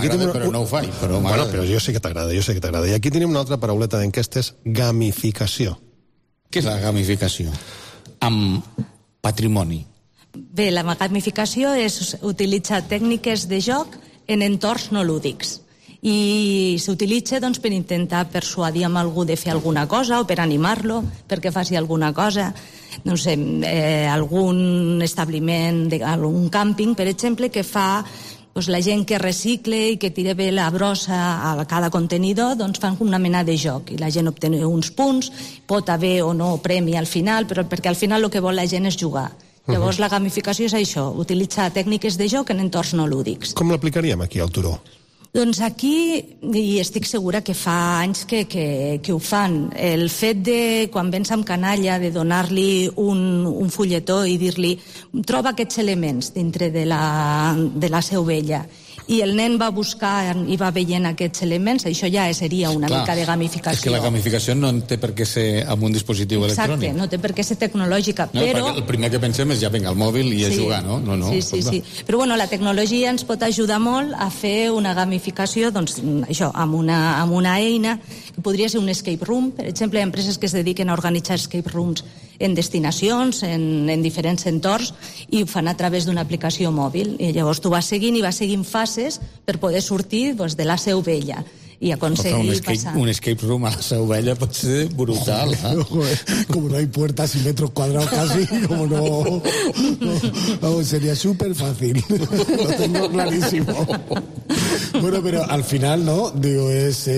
Però no ho faig. Però jo sé que t'agrada, I aquí tenim una altra parauleta d'enquesta, és gamificació. Què és la gamificació? Amb patrimoni. Bé, la gamificació és utilitzar tècniques de joc en entorns no lúdics. I s'utilitza per intentar persuadir amb algú de fer alguna cosa o per animar-lo perquè faci alguna cosa. No sé, algun establiment, algun càmping, per exemple, que fa la gent que recicle i que tira bé la brossa a cada contenidor, doncs fan una mena de joc i la gent obté uns punts, pot haver o no premi al final, però perquè al final el que vol la gent és jugar. Llavors la gamificació és això, utilitzar tècniques de joc en entorns no lúdics. Com l'aplicaríem aquí al Turó? Doncs aquí, i estic segura que fa anys que ho fan, el fet de, quan vens amb canalla, de donar-li un fulletó i dir-li troba aquests elements dintre de la Seu Vella, i el nen va buscar i va veient aquests elements, això ja seria una mica de gamificació. És que la gamificació no té per què ser amb un dispositiu electrònic. Exacte, no té per què ser tecnològica, però... El primer que pensem és ja vinga al mòbil i a jugar, no? Sí. Però bueno, la tecnologia ens pot ajudar molt a fer una gamificació, doncs això, amb una eina, que podria ser un escape room. Per exemple, hi ha empreses que es dediquen a organitzar escape rooms en destinacions, en diferents entorns, i ho fan a través d'una aplicació mòbil. I llavors tu vas seguint fases per poder sortir de la Seu Vella i aconseguir passar. Un escape room a la Seu Vella pot ser brutal. Como no hay puertas y metros cuadrados casi, como no, sería súper fácil. Lo tengo clarísimo. Bueno, pero al final, ¿no? Digo, es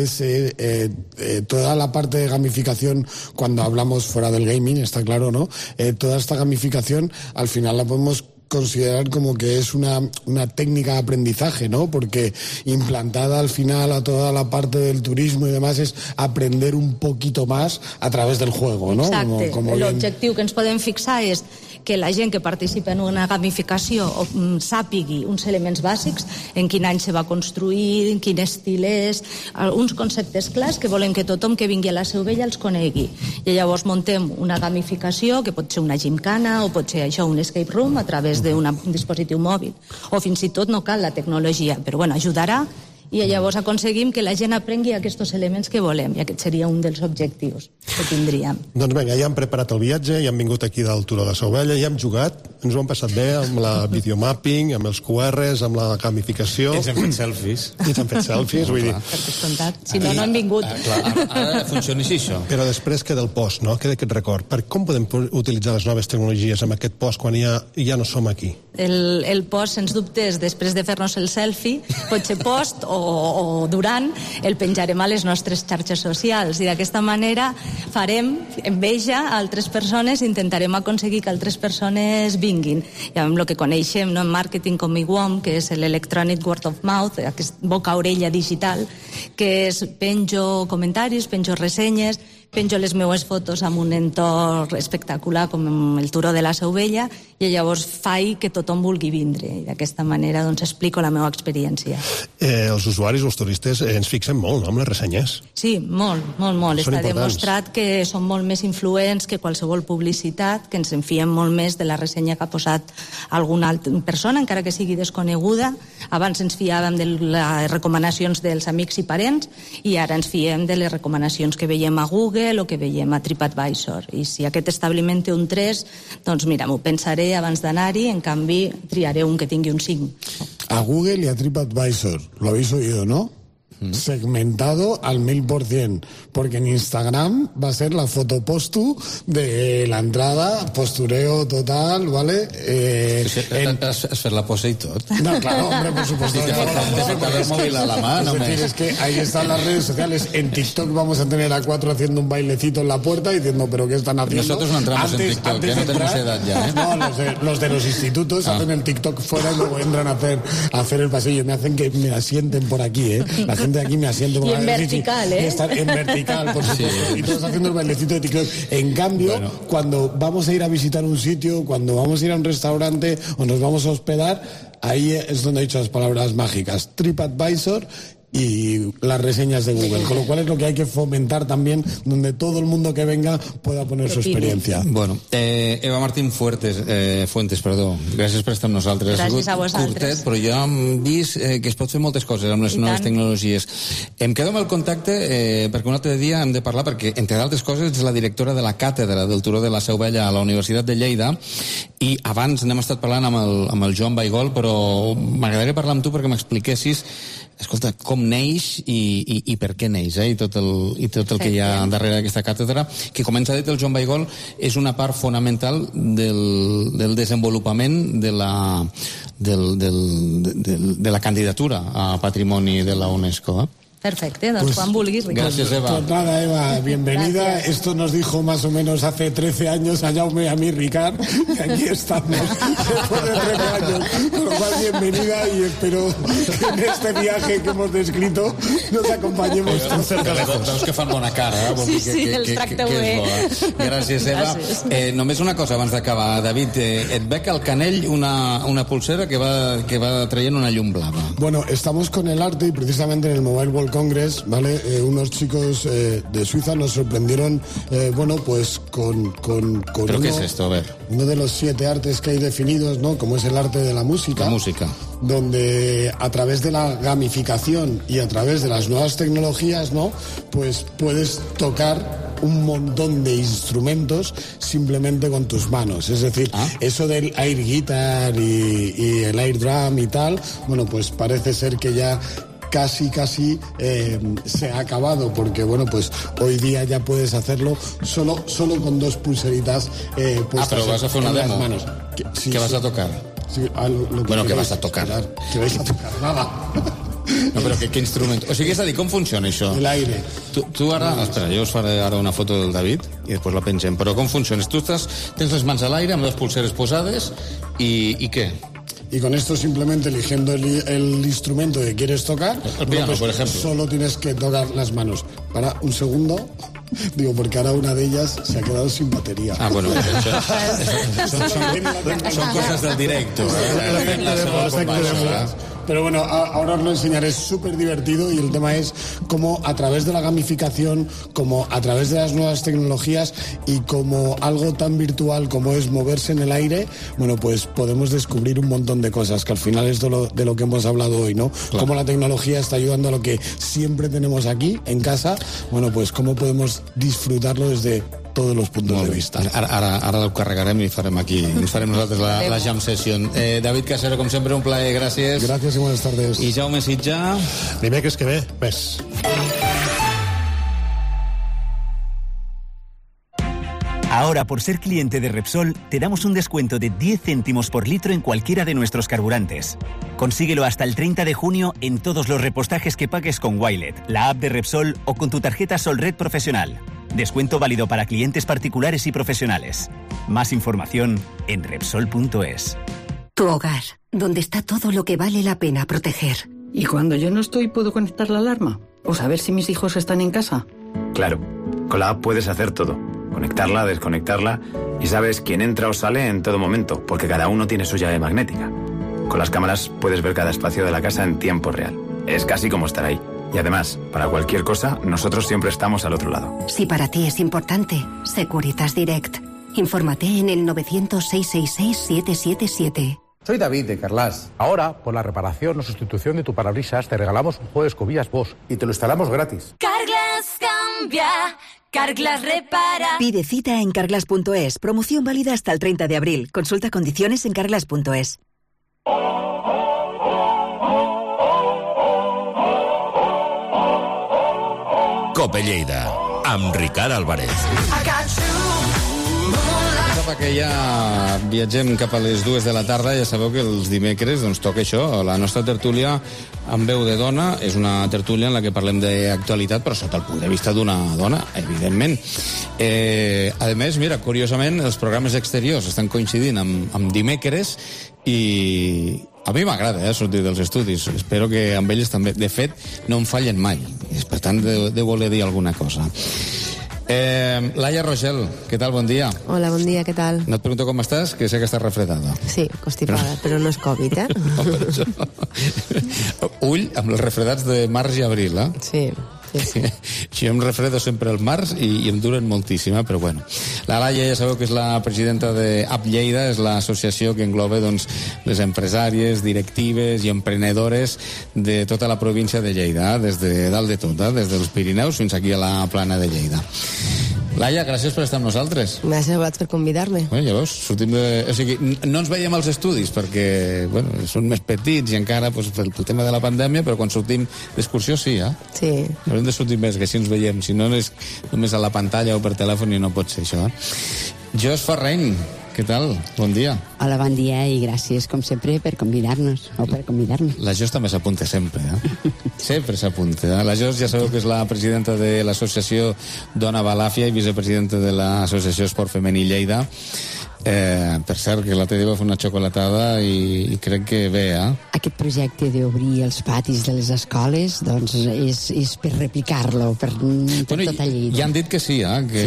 toda la parte de gamificación, cuando hablamos fuera del gaming, está claro, ¿no? Toda esta gamificación, al final la podemos considerar como que es una técnica de aprendizaje, ¿no? Porque implantada al final a toda la parte del turismo y demás es aprender un poquito más a través del juego, ¿no? Exacte. L'objectiu que ens podem fixar és que la gent que participa en una gamificació sàpigui uns elements bàsics, en quin any se va construir, quin estil és, uns conceptes clars que volem que tothom que vingui a la Seu Vella els conegui. I llavors muntem una gamificació que pot ser una gimcana o pot ser això, un escape room a través d'un dispositiu mòbil. O fins i tot no cal la tecnologia, però bueno, ajudarà i llavors aconseguim que la gent aprengui aquests elements que volem, i aquest seria un dels objectius que tindríem. Doncs vinga, ja hem preparat el viatge, ja hem vingut aquí del Turó de Seu Vella, ja hem jugat, ens ho hem passat bé amb la videomapping, amb els QRs, amb la gamificació. Ens hem fet selfies. Vull dir... Per descomptat, si no, no hem vingut. Ara funciona així, això. Però després queda el post, no? Queda aquest record. Com podem utilitzar les noves tecnologies amb aquest post quan ja no som aquí? El post, sens dubtes, després de fer-nos el selfie, pot ser post o durant, el penjarem a les nostres xarxes socials i d'aquesta manera farem enveja a altres persones i intentarem aconseguir que altres persones vinguin. I amb el que coneixem en màrqueting com IWOM, que és l'Electronic Word of Mouth, aquest boca-orella digital, que és penjo comentaris, penjo ressenyes, penjo les meues fotos amb un entorn espectacular com el Turó de la Seu Vella i llavors faig que tothom vulgui vindre i d'aquesta manera doncs explico la meva experiència. Els usuaris, els turistes, ens fixen molt, no?, amb les ressenyes. Sí, molt. Està demostrat que són molt més influents que qualsevol publicitat, que ens en fiem molt més de la ressenya que ha posat alguna altra persona, encara que sigui desconeguda. Abans ens fiàvem de les recomanacions dels amics i parents i ara ens fiem de les recomanacions que veiem a Google o que veiem a TripAdvisor. I si aquest establiment té un 3, doncs mira, m'ho pensaré abans d'anar-hi, en canvi triaré un que tingui un 5. A Google y a TripAdvisor, lo habéis oído, ¿no? Segmentado al 1000%, porque en Instagram va a ser la foto postu de la entrada, postureo total, ¿vale? Hacer la pose y todo. No, claro, hombre, por supuesto. El móvil a la mano. Es decir, es que ahí están las redes sociales. En TikTok vamos a tener a 4 haciendo un bailecito en la puerta diciendo, ¿pero qué están haciendo? Nosotros no entramos en TikTok, que no tenemos edad ya, ¿eh? No, los de los institutos hacen el TikTok fuera y luego entran a hacer el pasillo. Me hacen que me asienten por aquí, ¿eh? La gente de aquí me asiente por y en vertical, ¿eh? Estar en vertical, por supuesto. Sí. Y todos haciendo el bailecito de TikTok. En cambio, cuando vamos a ir a visitar un sitio, cuando vamos a ir a un restaurante o nos vamos a hospedar, ahí es donde he dicho las palabras mágicas. TripAdvisor y las reseñas de Google, con lo cual es lo que hay que fomentar también, donde todo el mundo que venga pueda poner su experiencia. Bueno, Eva Martín Fuentes, gràcies per estar amb nosaltres. Gràcies a vosaltres. Curtet, però jo hem vist que es pot fer moltes coses amb les noves tecnologies. Em quedo amb el contacte perquè un altre dia hem de parlar, perquè entre d'altres coses ets la directora de la càtedra del Turó de la Seu Vella a la Universitat de Lleida, i abans n'hem estat parlant amb el Joan Baigol, però m'agradaria parlar amb tu perquè m'expliquessis, escolta, com neix i per què neix, i tot el que hi ha darrere d'aquesta càtedra, que, com ens ha dit el Joan Baigol, és una part fonamental del desenvolupament de la candidatura a Patrimoni de la UNESCO. Perfecte, doncs pues, quan vulguis, Ricardo. Gracias, Eva. Pues nada, Eva, bienvenida. Gracias. Esto nos dijo más o menos hace 13 años a Jaume y a mí, Ricard, y aquí estamos después de 13 años. Por lo cual, bienvenida, y espero que en este viaje que hemos descrito nos acompanyemos tan cerca de lejos. Veus que fan bona cara, eh? Sí, els tracteu bé. Gràcies, Eva. Només una cosa abans d'acabar, David, et veig al canell una pulsera que va traient una llum blava. Bueno, estamos con el arte y precisamente en el Mobile World Congress, ¿vale? Unos chicos de Suiza nos sorprendieron, pues con ¿Pero qué es esto? A ver. Uno de los 7 artes que hay definidos, ¿no? Como es el arte de la música. La música. Donde a través de la gamificación y a través de las nuevas tecnologías, ¿no? Pues puedes tocar un montón de instrumentos simplemente con tus manos. Es decir, eso del air guitar y el air drum y tal, bueno, pues parece ser que ya casi se ha acabado, porque pues hoy día ya puedes hacerlo solo con 2 pulseritas puestas pero vas a hacer una demo. Manos. ¿Qué vas a tocar? Sí, ¿qué vas a tocar? ¿Qué vais a tocar? Nada. No, però qué instrument? O sigui, és a dir, com funciona això? L'aire. Tu ara... Espera, jo us faré ara una foto del David i després la pengem. Però com funciona? Tu tens les mans a l'aire amb les pulseres posades i què? Y con esto simplemente eligiendo el instrumento que quieres tocar, el piano, por ejemplo, solo tienes que tocar las manos. Para un segundo, digo, porque ahora una de ellas se ha quedado sin batería. Bueno, son cosas del directo. Pero bueno, ahora os lo enseñaré, es súper divertido, y el tema es cómo a través de la gamificación, como a través de las nuevas tecnologías y como algo tan virtual como es moverse en el aire, pues podemos descubrir un montón de cosas, que al final es de lo que hemos hablado hoy, ¿no? Claro. Cómo la tecnología está ayudando a lo que siempre tenemos aquí, en casa, pues cómo podemos disfrutarlo desde todos los puntos de vista. Ara ho carregarem i farem aquí, ens farem nosaltres la jam session. David Casero, com sempre, un plaer, gràcies. Gràcies i buenas tardes. I Jaume Sitjà. Dimecres que ve, ves. Ahora, por ser cliente de Repsol, te damos un descuento de 10 céntimos por litro en cualquiera de nuestros carburantes. Consíguelo hasta el 30 de junio en todos los repostajes que pagues con Wilet, la app de Repsol o con tu tarjeta Solred Profesional. Descuento válido para clientes particulares y profesionales. Más información en Repsol.es. Tu hogar, donde está todo lo que vale la pena proteger. ¿Y cuando yo no estoy, puedo conectar la alarma? ¿O saber si mis hijos están en casa? Claro. Con la app puedes hacer todo. Conectarla, desconectarla y sabes quién entra o sale en todo momento, porque cada uno tiene su llave magnética. Con las cámaras puedes ver cada espacio de la casa en tiempo real. Es casi como estar ahí. Y además, para cualquier cosa, nosotros siempre estamos al otro lado. Si para ti es importante, Securitas Direct. Infórmate en el 900-666-777. Soy David de Carlas. Ahora, por la reparación o sustitución de tu parabrisas, te regalamos un juego de escobillas Bosch y te lo instalamos gratis. Carglass cambia, Carglass repara. Pide cita en carglass.es. Promoción válida hasta el 30 de abril. Consulta condiciones en carglass.es. Cope Lleida, amb Ricard Álvarez. Que ja viatgem cap a les 2 de la tarda. Ja sabeu que els dimecres toca això, la nostra tertúlia amb veu de dona. És una tertúlia en la que parlem d'actualitat, però sota el punt de vista d'una dona, evidentment. A més, mira, curiosament, els programes exteriors estan coincidint amb dimecres i a mi m'agrada sortir dels estudis. Espero que amb ells també. De fet, no em fallen mai. Per tant, de voler dir alguna cosa. Laia Rogel, què tal? Bon dia. Hola, bon dia, què tal? No et pregunto com estàs, que sé que estàs refredada. Sí, constipada, però no és Covid, eh? No, per això. Ull amb els refredats de març i abril, eh? Sí. Jo em refredo sempre al març i em duren moltíssim, però bueno. La Laia ja sabeu que és la presidenta de App Lleida, és l'associació que engloba les empresàries, directives i emprenedores de tota la província de Lleida, des de dalt de tot, des dels Pirineus fins aquí a la plana de Lleida. Laia, gràcies per estar amb nosaltres. Gràcies a vosaltres per convidar-me. Ja veus, sortim de... O sigui, no ens veiem als estudis perquè, són més petits i encara pel tema de la pandèmia, però quan sortim d'excursió sí, eh? Sí. Haurem de sortir més, que així ens veiem. Si no és només a la pantalla o per telèfon i no pot ser això, Jos Ferreny, què tal? Bon dia. Hola, bon dia i gràcies, com sempre, per convidar-nos, o per convidar-me. La Jos també s'apunta sempre, Sempre s'apunta. La Jos ja sabeu que és la presidenta de l'associació Dona Balàfia i vicepresidenta de l'associació Esport Femení Lleida. Per cert, que l'altre dia va fer una xocolatada i crec que bé, Aquest projecte d'obrir els patis de les escoles, doncs, és per replicar-lo, per tota Lleida. Ja han dit que sí, que...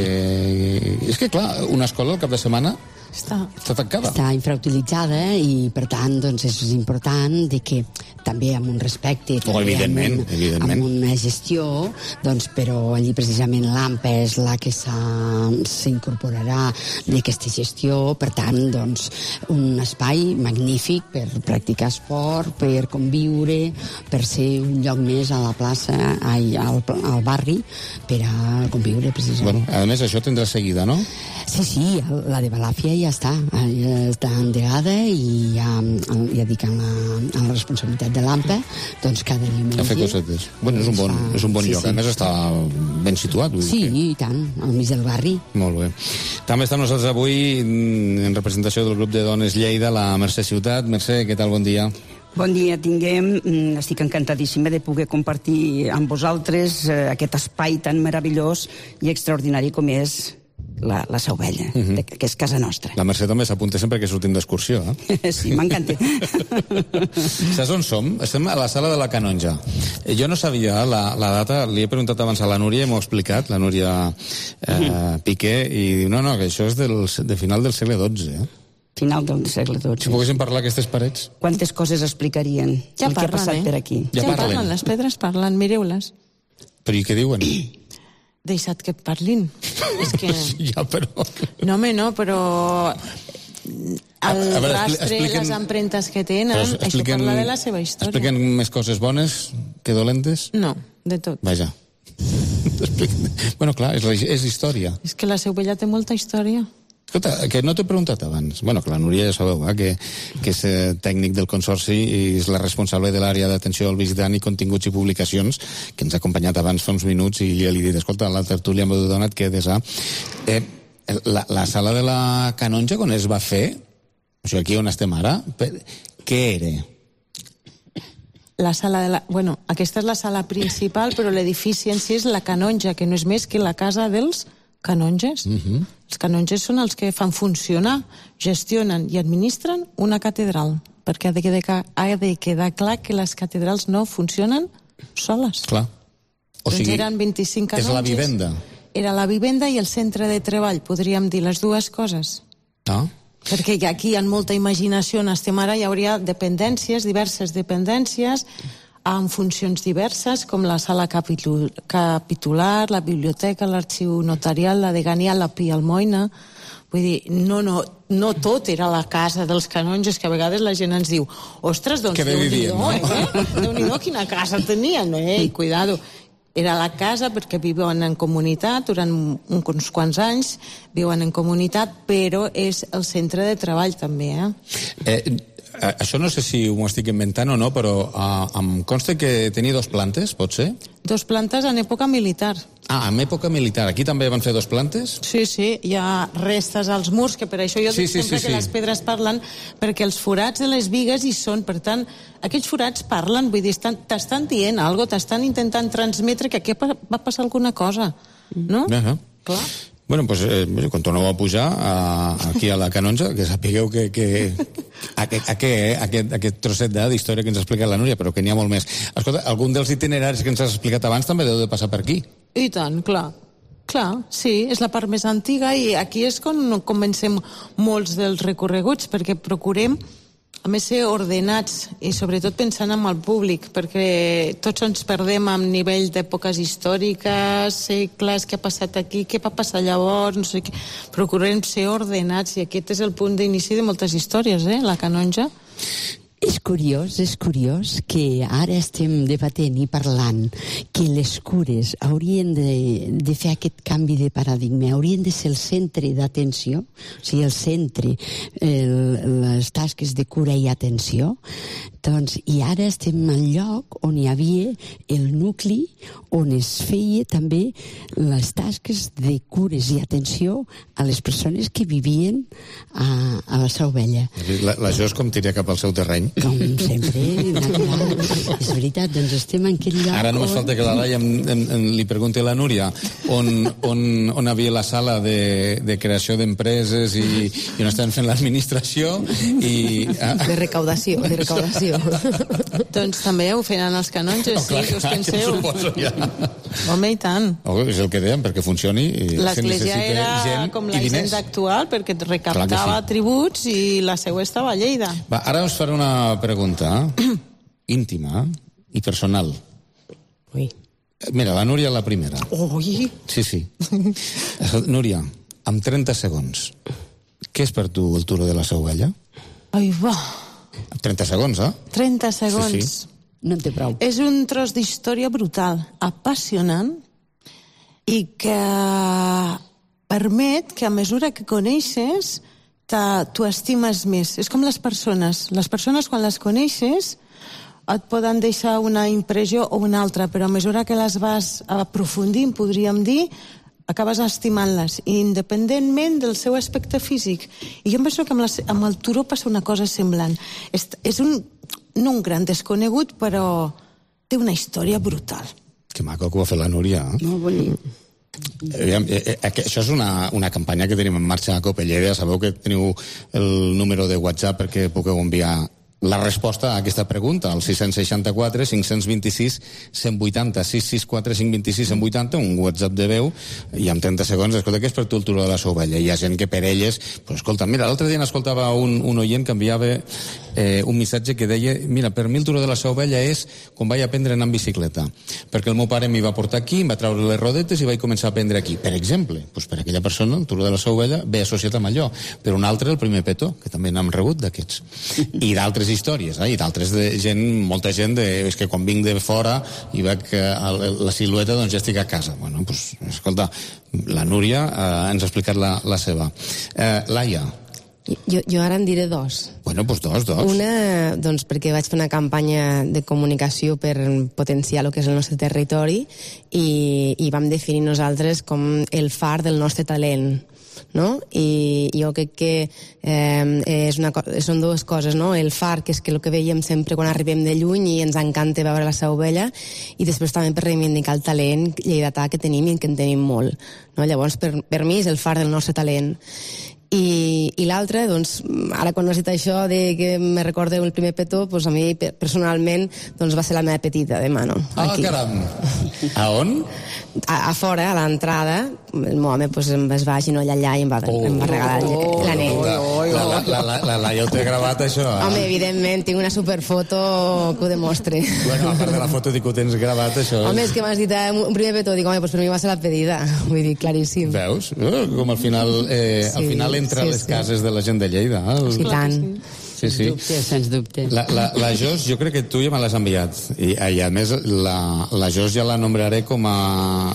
És que, clar, una escola al cap de setmana està tancada. Està infrautilitzada i, per tant, doncs, és important de que també amb un respecte, evidentment. Amb una gestió, doncs, però allí precisament l'AMPA és la que s'incorporarà d'aquesta gestió, per tant, doncs, un espai magnífic per practicar esport, per conviure, per ser un lloc més a la plaça, al barri, per a conviure, precisament. A més, això tindrà seguida, no? Sí, la de Balàfia ja està endegada i ja dic en la responsabilitat de l'AMPA, doncs cada diumenge... A fer cosetes. És un bon lloc, a més està ben situat. Sí, i tant, al mig del barri. Molt bé. També està amb nosaltres avui, en representació del grup de dones Lleida, la Mercè Ciutat. Mercè, què tal? Bon dia. Bon dia, tinguem. Estic encantadíssima de poder compartir amb vosaltres aquest espai tan meravellós i extraordinari com és la Seu Vella, que és casa nostra. La Mercè també s'apunta sempre que sortim d'excursió, Sí, m'encanta. Saps on som? Estem a la sala de la Canonja. Jo no sabia la data, li he preguntat abans a la Núria i m'ho ha explicat, la Núria Piqué, i diu, no, que això és de final del segle XII, Final del segle XII. Si poguéssim parlar aquestes parets. Quantes coses explicarien ja el que ha passat per aquí. Ja parlen, les pedres parlen, mireu-les. Però i què diuen? Deixat que parlin. És que... Ja, però... No, però... El rastre, les empremtes que tenen, això parla de la seva història. Expliquen més coses bones que dolentes? No, de tot. Vaja. Bueno, clar, és història. És que la Seu Vella té molta història. Escolta, que no t'he preguntat abans. Bueno, que la Núria ja sabeu, que és tècnic del Consorci i és la responsable de l'àrea d'atenció al visitant i continguts i publicacions, que ens ha acompanyat abans fa uns minuts i ja li he dit, escolta, la tertúlia m'ha donat que des a... La sala de la Canonja, quan es va fer, o sigui, aquí on estem ara, què era? La sala de la... Bueno, aquesta és la sala principal, però l'edifici en si és la Canonja, que no és més que la casa dels canonges. Els canonges són els que fan funcionar, gestionen i administren una catedral, perquè ha de quedar clar que les catedrals no funcionen soles. Clar. O sigui, eren 25 canonges. és la vivenda. era la vivenda i el centre de treball, podríem dir les dues coses. Ah. Perquè aquí hi ha molta imaginació, on estem ara, hi hauria dependències, diverses dependències, amb funcions diverses, com la sala capitular, la biblioteca, l'arxiu notarial, la degania, la Pia Almoina. Vull dir, no tot era la casa dels canonges, que a vegades la gent ens diu, ostres, doncs Déu-n'hi-do, quina casa tenien, i cuidado. Era la casa perquè viuen en comunitat, durant uns quants anys viuen en comunitat, però és el centre de treball també, Això no sé si ho estic inventant o no, però em consta que tenia 2 plantes, pot ser? 2 plantes en època militar. Ah, en època militar. Aquí també van fer 2 plantes? Sí, hi ha restes als murs, que per això jo dic sempre que les pedres parlen, perquè els forats de les bigues hi són, per tant, aquells forats parlen, vull dir, t'estan dient alguna cosa, t'estan intentant transmetre que aquí va passar alguna cosa, no? Clar. Bueno, doncs, quan torneu a pujar aquí a la Canonja, que sapigueu que aquest trosset d'història que ens ha explicat la Núria, però que n'hi ha molt més. Escolta, algun dels itineraris que ens has explicat abans també deu de passar per aquí. I tant, clar. Clar, sí, és la part més antiga i aquí és quan comencem molts dels recorreguts, perquè procurem a més ser ordenats i sobretot pensant en el públic, perquè tots ens perdem a nivell d'èpoques històriques, segles, què ha passat aquí, què va passar llavors, no sé què. Procurem ser ordenats i aquest és el punt d'inici de moltes històries, la Canonja. És curiós que ara estem debatent i parlant que les cures haurien de fer aquest canvi de paradigma, haurien de ser el centre d'atenció, o sigui, el centre, les tasques de cura i atenció, doncs, i ara estem al lloc on hi havia el nucli on es feia també les tasques de cures i atenció a les persones que vivien a la Seu Vella. La Jos com tira cap al seu terreny. Com sempre, és veritat, doncs estem en aquell lloc. Ara només falta que la Laia li pregunti a la Núria on havia la sala de creació d'empreses i on estaven fent l'administració i... De recaudació. Doncs també ho feien els canonges, sí, us penseu. Suposo, ja. Home, i tant. És el que dèiem, perquè funcioni. L'església era com la Hisenda actual, perquè recaptava tributs i la seu estava a Lleida. Va, ara us faré una pregunta íntima i personal. Ui. Mira, la Núria la primera. Ui! Sí. Núria, amb 30 segons, què és per tu el Turó de la Seu Vella? Ai, va. 30 segons, 30 segons. Sí. No en té prou. És un tros d'història brutal, apassionant, i que permet que a mesura que coneixes t'ho estimes més. És com les persones. Les persones, quan les coneixes, et poden deixar una impressió o una altra, però a mesura que les vas aprofundint, podríem dir, acabes estimant-les, independentment del seu aspecte físic. I jo em penso que amb el turó passa una cosa semblant. És no un gran desconegut, però té una història brutal. Que maco que ho va fer la Núria. Molt bonic. Això és una campanya que tenim en marxa a Cope Lleida. Sabeu que teniu el número de WhatsApp perquè pugueu enviar la resposta a aquesta pregunta, al 664 526 180, 664 526 180, un WhatsApp de veu, i amb 30 segons, escolta, què és per tu el Turó de la Seu Vella? Hi ha gent que per elles, pues, escolta, mira, l'altre dia n'escoltava un oient que enviava un missatge que deia, mira, per mi el Turó de la Seu Vella és com vaig aprendre a anar en bicicleta, perquè el meu pare m'hi va portar aquí, em va treure les rodetes i vaig començar a aprendre aquí. Per exemple, pues, per aquella persona, el Turó de la Seu Vella ve associat amb allò. Per un altre, el primer petó, que també n'hem rebut d'aquests. I d'altres històries, i d'altres de gent, molta gent, és que quan vinc de fora i veig la silueta, doncs ja estic a casa. Bueno, doncs, escolta, la Núria ens ha explicat la seva. Laia. Jo ara en diré 2. Bueno, doncs 2. Una, doncs perquè vaig fer una campanya de comunicació per potenciar el que és el nostre territori i vam definir nosaltres com el far del nostre talent. No? I jo crec que són dues coses, no? El far, que és que el que veiem sempre quan arribem de lluny i ens encanta veure la Seu Vella, i després també per reivindicar el talent lleidatà que tenim i que en tenim molt, no? Llavors per mi és el far del nostre talent. I l'altre, doncs, ara quan has dit això de que me recordo el primer petó, doncs a mi personalment doncs va ser la meva petita de mano. Ah, caram! A on? A fora, a l'entrada, el meu home pues, es va agenollar allà i em va regalar l'anell. La Laia ho té gravat, això. Home, evidentment, tinc una superfoto que ho demostre. Bueno, a part de la foto, dic que ho tens gravat, això. Home, és que m'has dit un primer petó, dic, home, pues per mi va ser la pedida. Vull dir, claríssim. Veus? Com al final entra a les cases de la gent de Lleida. Sí, tant. Sí. Sens dubte. La Jos, jo crec que tu ja me l'has enviat. I a més, la Jos ja la nombraré com a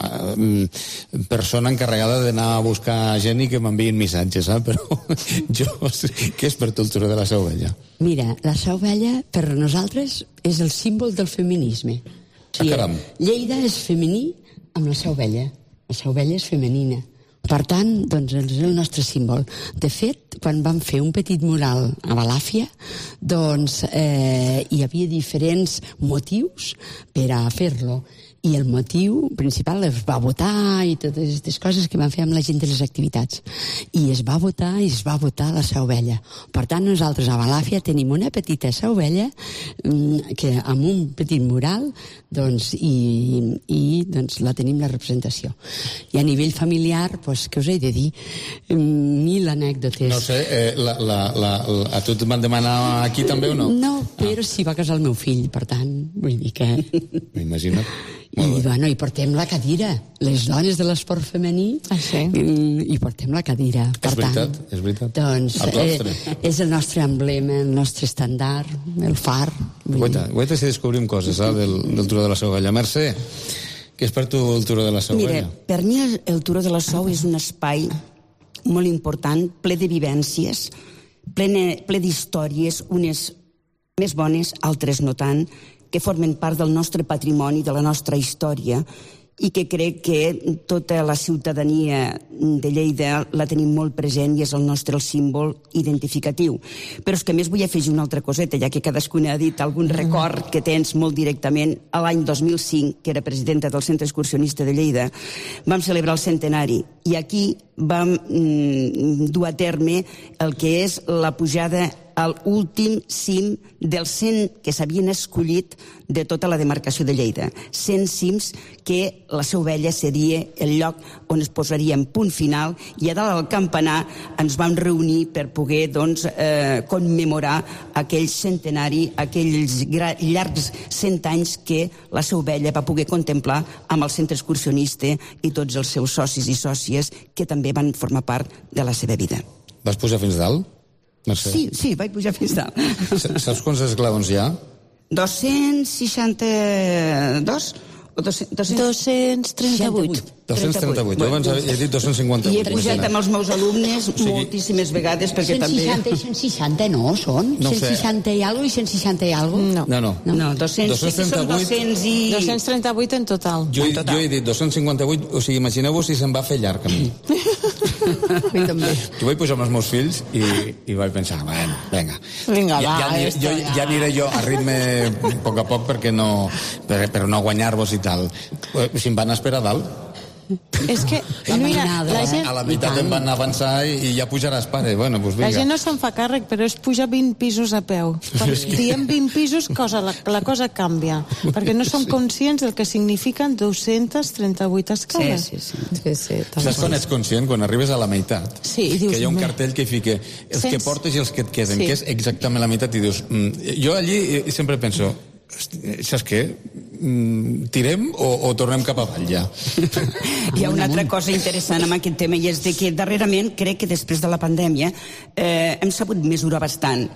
persona encarregada d'anar a buscar gent i que m'enviïn missatges, però Jos, què és per tu el turó de la Seu Vella? Mira, la Seu Vella, per nosaltres, és el símbol del feminisme. Caram. Lleida és femení amb la Seu Vella. La Seu Vella és femenina. Per tant, doncs, és el nostre símbol. De fet, quan vam fer un petit mural a Balàfia, doncs hi havia diferents motius per a fer-lo. I el motiu principal es va votar i totes aquestes coses que van fer amb la gent de les activitats. I es va votar la Seu Vella. Per tant, nosaltres a Balàfia tenim una petita Seu Vella que amb un petit mural doncs, i doncs, la tenim la representació. I a nivell familiar, doncs, què us he de dir? 1000 anècdotes. No sé, a tu et van demanar aquí també o no? No, però sí va casar el meu fill, per tant, vull dir que... M'imagino. I portem la cadira. Les dones de l'esport femení i portem la cadira. És veritat. Doncs és el nostre emblema, el nostre estàndard, el far. Guaita si descobrim coses del Turó de la Seu Vella. Mercè, què és per tu el Turó de la Seu Vella? Mira, per mi el Turó de la Seu és un espai molt important, ple de vivències, ple d'històries, unes més bones, altres no tant, que formen part del nostre patrimoni, de la nostra història, i que crec que tota la ciutadania de Lleida la tenim molt present i és el nostre símbol identificatiu. Però és que a més vull afegir una altra coseta, ja que cadascuna ha dit algun record que tens molt directament. A l'any 2005, que era presidenta del Centre Excursionista de Lleida, vam celebrar el centenari i aquí vam dur a terme el que és la pujada a l'últim cim dels 100 que s'havien escollit de tota la demarcació de Lleida. 100 cims que la Seu Vella seria el lloc on es posaria en punt final i a dalt del campanar ens vam reunir per poder commemorar aquell centenari, aquells llargs 100 anys que la Seu Vella va poder contemplar amb el centre excursionista i tots els seus socis i sòcies que també van formar part de la seva vida. Vas pujar fins dalt? Sí, vaig pujar fins dalt. Saps quants esglaons hi ha? 262 o 238. 238. Jo abans he dit 258. I he pujat amb els meus alumnes moltíssimes vegades perquè també... 160 no són? No 160 i alguna i 160 i alguna? No, 238 en total. Jo he dit 258, o sigui, imagineu-vos si se'n va fer llarg a mi. Jo vaig pujar amb els meus fills i vaig pensar, bueno, vinga, ja aniré jo a ritme a poc per no guanyar-vos i tal. Si em van esperar a dalt. És que, mira, la gent... A la meitat em van avançar i ja pujaràs, pare. Bueno, doncs vinga. La gent no se'n fa càrrec, però és pujar 20 pisos a peu. Quan diem 20 pisos, la cosa canvia. Perquè no som conscients del que signifiquen 238 escales. Sí. Saps quan ets conscient? Quan arribes a la meitat. Sí, i dius... Que hi ha un cartell que fica els que portes i els que et queden, que és exactament la meitat, i dius... Jo allí sempre penso... Saps què? Tirem o tornem cap avall ja? Hi ha una altra cosa interessant amb aquest tema i és que darrerament crec que després de la pandèmia hem sabut mesurar bastant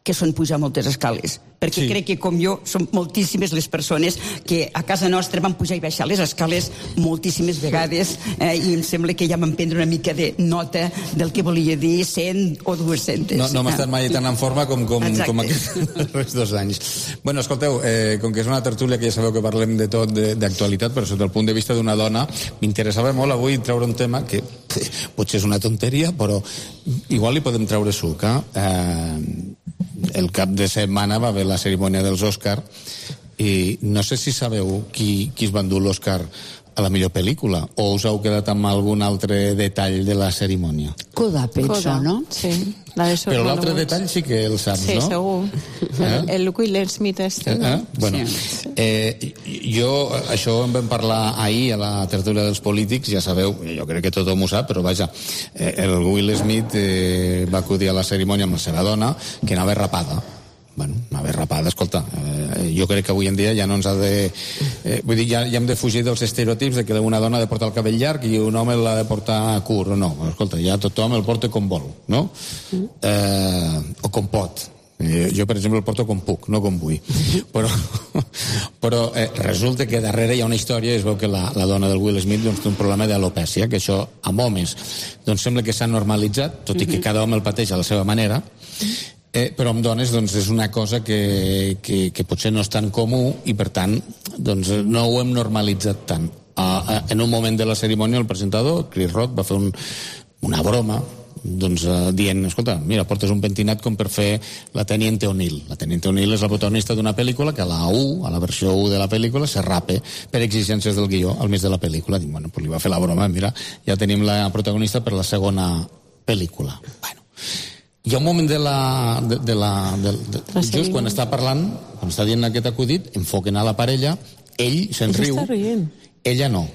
que són pujar moltes escales, perquè crec que com jo són moltíssimes les persones que a casa nostra van pujar i baixar les escales moltíssimes vegades i em sembla que ja vam prendre una mica de nota del que volia dir 100 o 200. No hem estat mai tan en forma com aquests 2 anys. Bueno, escolteu, com que és una tertúlia que ja sabeu que parlem de tot d'actualitat, però sota el punt de vista d'una dona, m'interessava molt avui treure un tema que potser és una tonteria, però igual li podem treure suc. El cap de setmana va haver la cerimònia dels Òscar i no sé si sabeu qui es va endur l'Òscar a la millor pel·lícula, o us heu quedat amb algun altre detall de la cerimònia? Coda, penso, no? Sí. Però l'altre detall sí que el saps, sí, no? Sí, segur. El Will Smith este, no? Bueno, jo, això en vam parlar ahir a la tertúlia dels polítics, ja sabeu, jo crec que tothom ho sap, però vaja, el Will Smith va acudir a la cerimònia amb la seva dona, que anava rapada. Bueno, anava rapada, escolta, jo crec que avui en dia ja no ens ha de... vull dir, ja hem de fugir dels estereotips de que una dona ha de portar el cabell llarg i un home l'ha de portar curt, no, escolta, ja tothom el porta com vol, no? O com pot. Jo, per exemple, el porto com puc, no com vull. Però resulta que darrere hi ha una història, es veu que la dona del Will Smith doncs, té un problema d'alopècia, que això amb homes doncs sembla que s'ha normalitzat, tot i que cada home el pateix a la seva manera, però amb dones doncs, és una cosa que potser no és tan comú i per tant doncs, no ho hem normalitzat tant. En un moment de la cerimònia el presentador, Chris Rock, va fer una broma doncs, dient, escolta, mira, portes un pentinat com per fer la Teniente O'Neill. La Teniente O'Neill és la protagonista d'una pel·lícula que a la versió 1 de la pel·lícula se rape per exigències del guió al mig de la pel·lícula. Dic, bueno, pues li va fer la broma, mira, ja tenim la protagonista per la segona pel·lícula. Bueno, hi ha un moment just quan està parlant, quan està dient aquest acudit, enfoquen a la parella, ell se'n riu, ella no.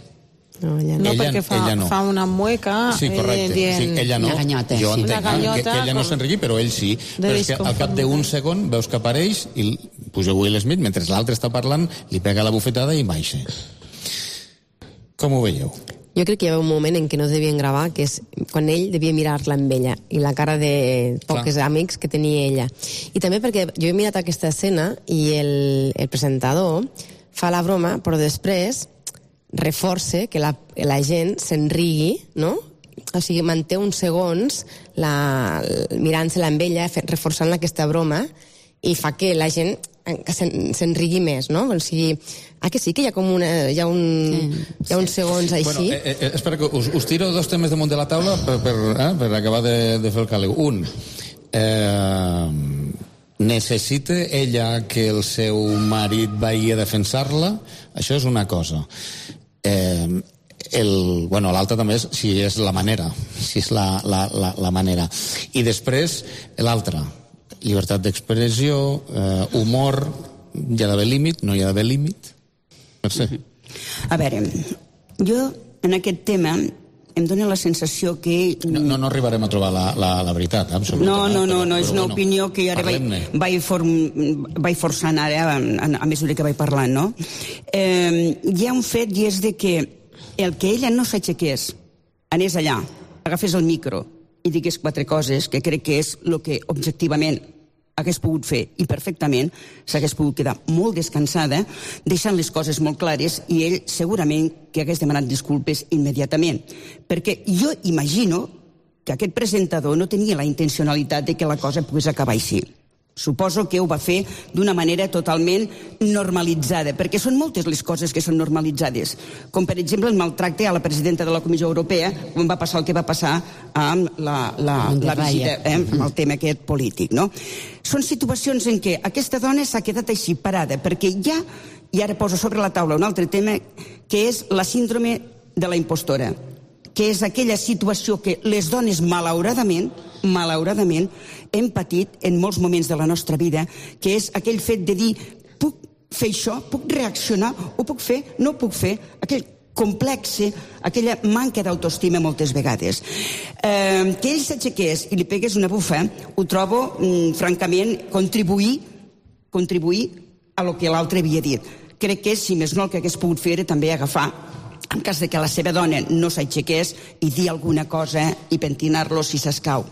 No, perquè fa una mueca. Sí, correcte. Sí, ella no. Jo entenc que ella no se'n rigui, però ell sí. Però és que al cap d'un segon veus que apareix i puja Will Smith, mentre l'altre està parlant, li pega la bufetada i baixa. Com ho veieu? Jo crec que hi havia un moment en què no es devien gravar, que és quan ell devia mirar-la amb ella i la cara de pocs amics que tenia ella. I també perquè jo he mirat aquesta escena i el presentador fa la broma, però després reforça que la gent s'enrigui, no? O sigui, manté uns segons mirant-se-la amb ella, reforçant aquesta broma, i fa que la gent s'enrigui més, no? O sigui, que sí, que hi ha uns segons així. Bueno, espera, que us tiro dos temes damunt de la taula per acabar de fer el càleu. Un, necessita ella que el seu marit vagi a defensar-la? Això és una cosa. L'altre també és si és la manera, si és la manera. I després, l'altre, llibertat d'expressió, humor, hi ha d'haver límit, no hi ha d'haver límit? Mercè. A veure, jo en aquest tema em dóna la sensació que... No arribarem a trobar la veritat, absolutament. No, és una opinió que ara vaig forçant ara a mesura que vaig parlant, no? Hi ha un fet i és de que el que ella no s'aixequés, anés allà, agafés el micro i digués 4 coses, que crec que és el que objectivament hagués pogut fer i perfectament, s'hagués pogut quedar molt descansada, deixant les coses molt clares, i ell segurament que hagués demanat disculpes immediatament. Perquè jo imagino que aquest presentador no tenia la intencionalitat de que la cosa pogués acabar així. Suposo que ho va fer d'una manera totalment normalitzada, perquè són moltes les coses que són normalitzades, com per exemple el maltracte a la presidenta de la Comissió Europea quan va passar el que va passar amb la visita, amb el tema aquest polític, no? Són situacions en què aquesta dona s'ha quedat així parada, perquè ja, i ara poso sobre la taula un altre tema, que és la síndrome de la impostora, que és aquella situació que les dones malauradament hem patit en molts moments de la nostra vida, que és aquell fet de dir puc fer això, puc reaccionar, ho puc fer, no ho puc fer, aquell complexe, aquella manca d'autoestima moltes vegades. Que ell s'aixequés i li pegués una bufa, ho trobo, francament, contribuir a lo que l'altre havia dit. Crec que, si més no, el que hagués pogut fer era també agafar, en cas de que la seva dona no s'aixequés, i dir alguna cosa i pentinar-lo si s'escau,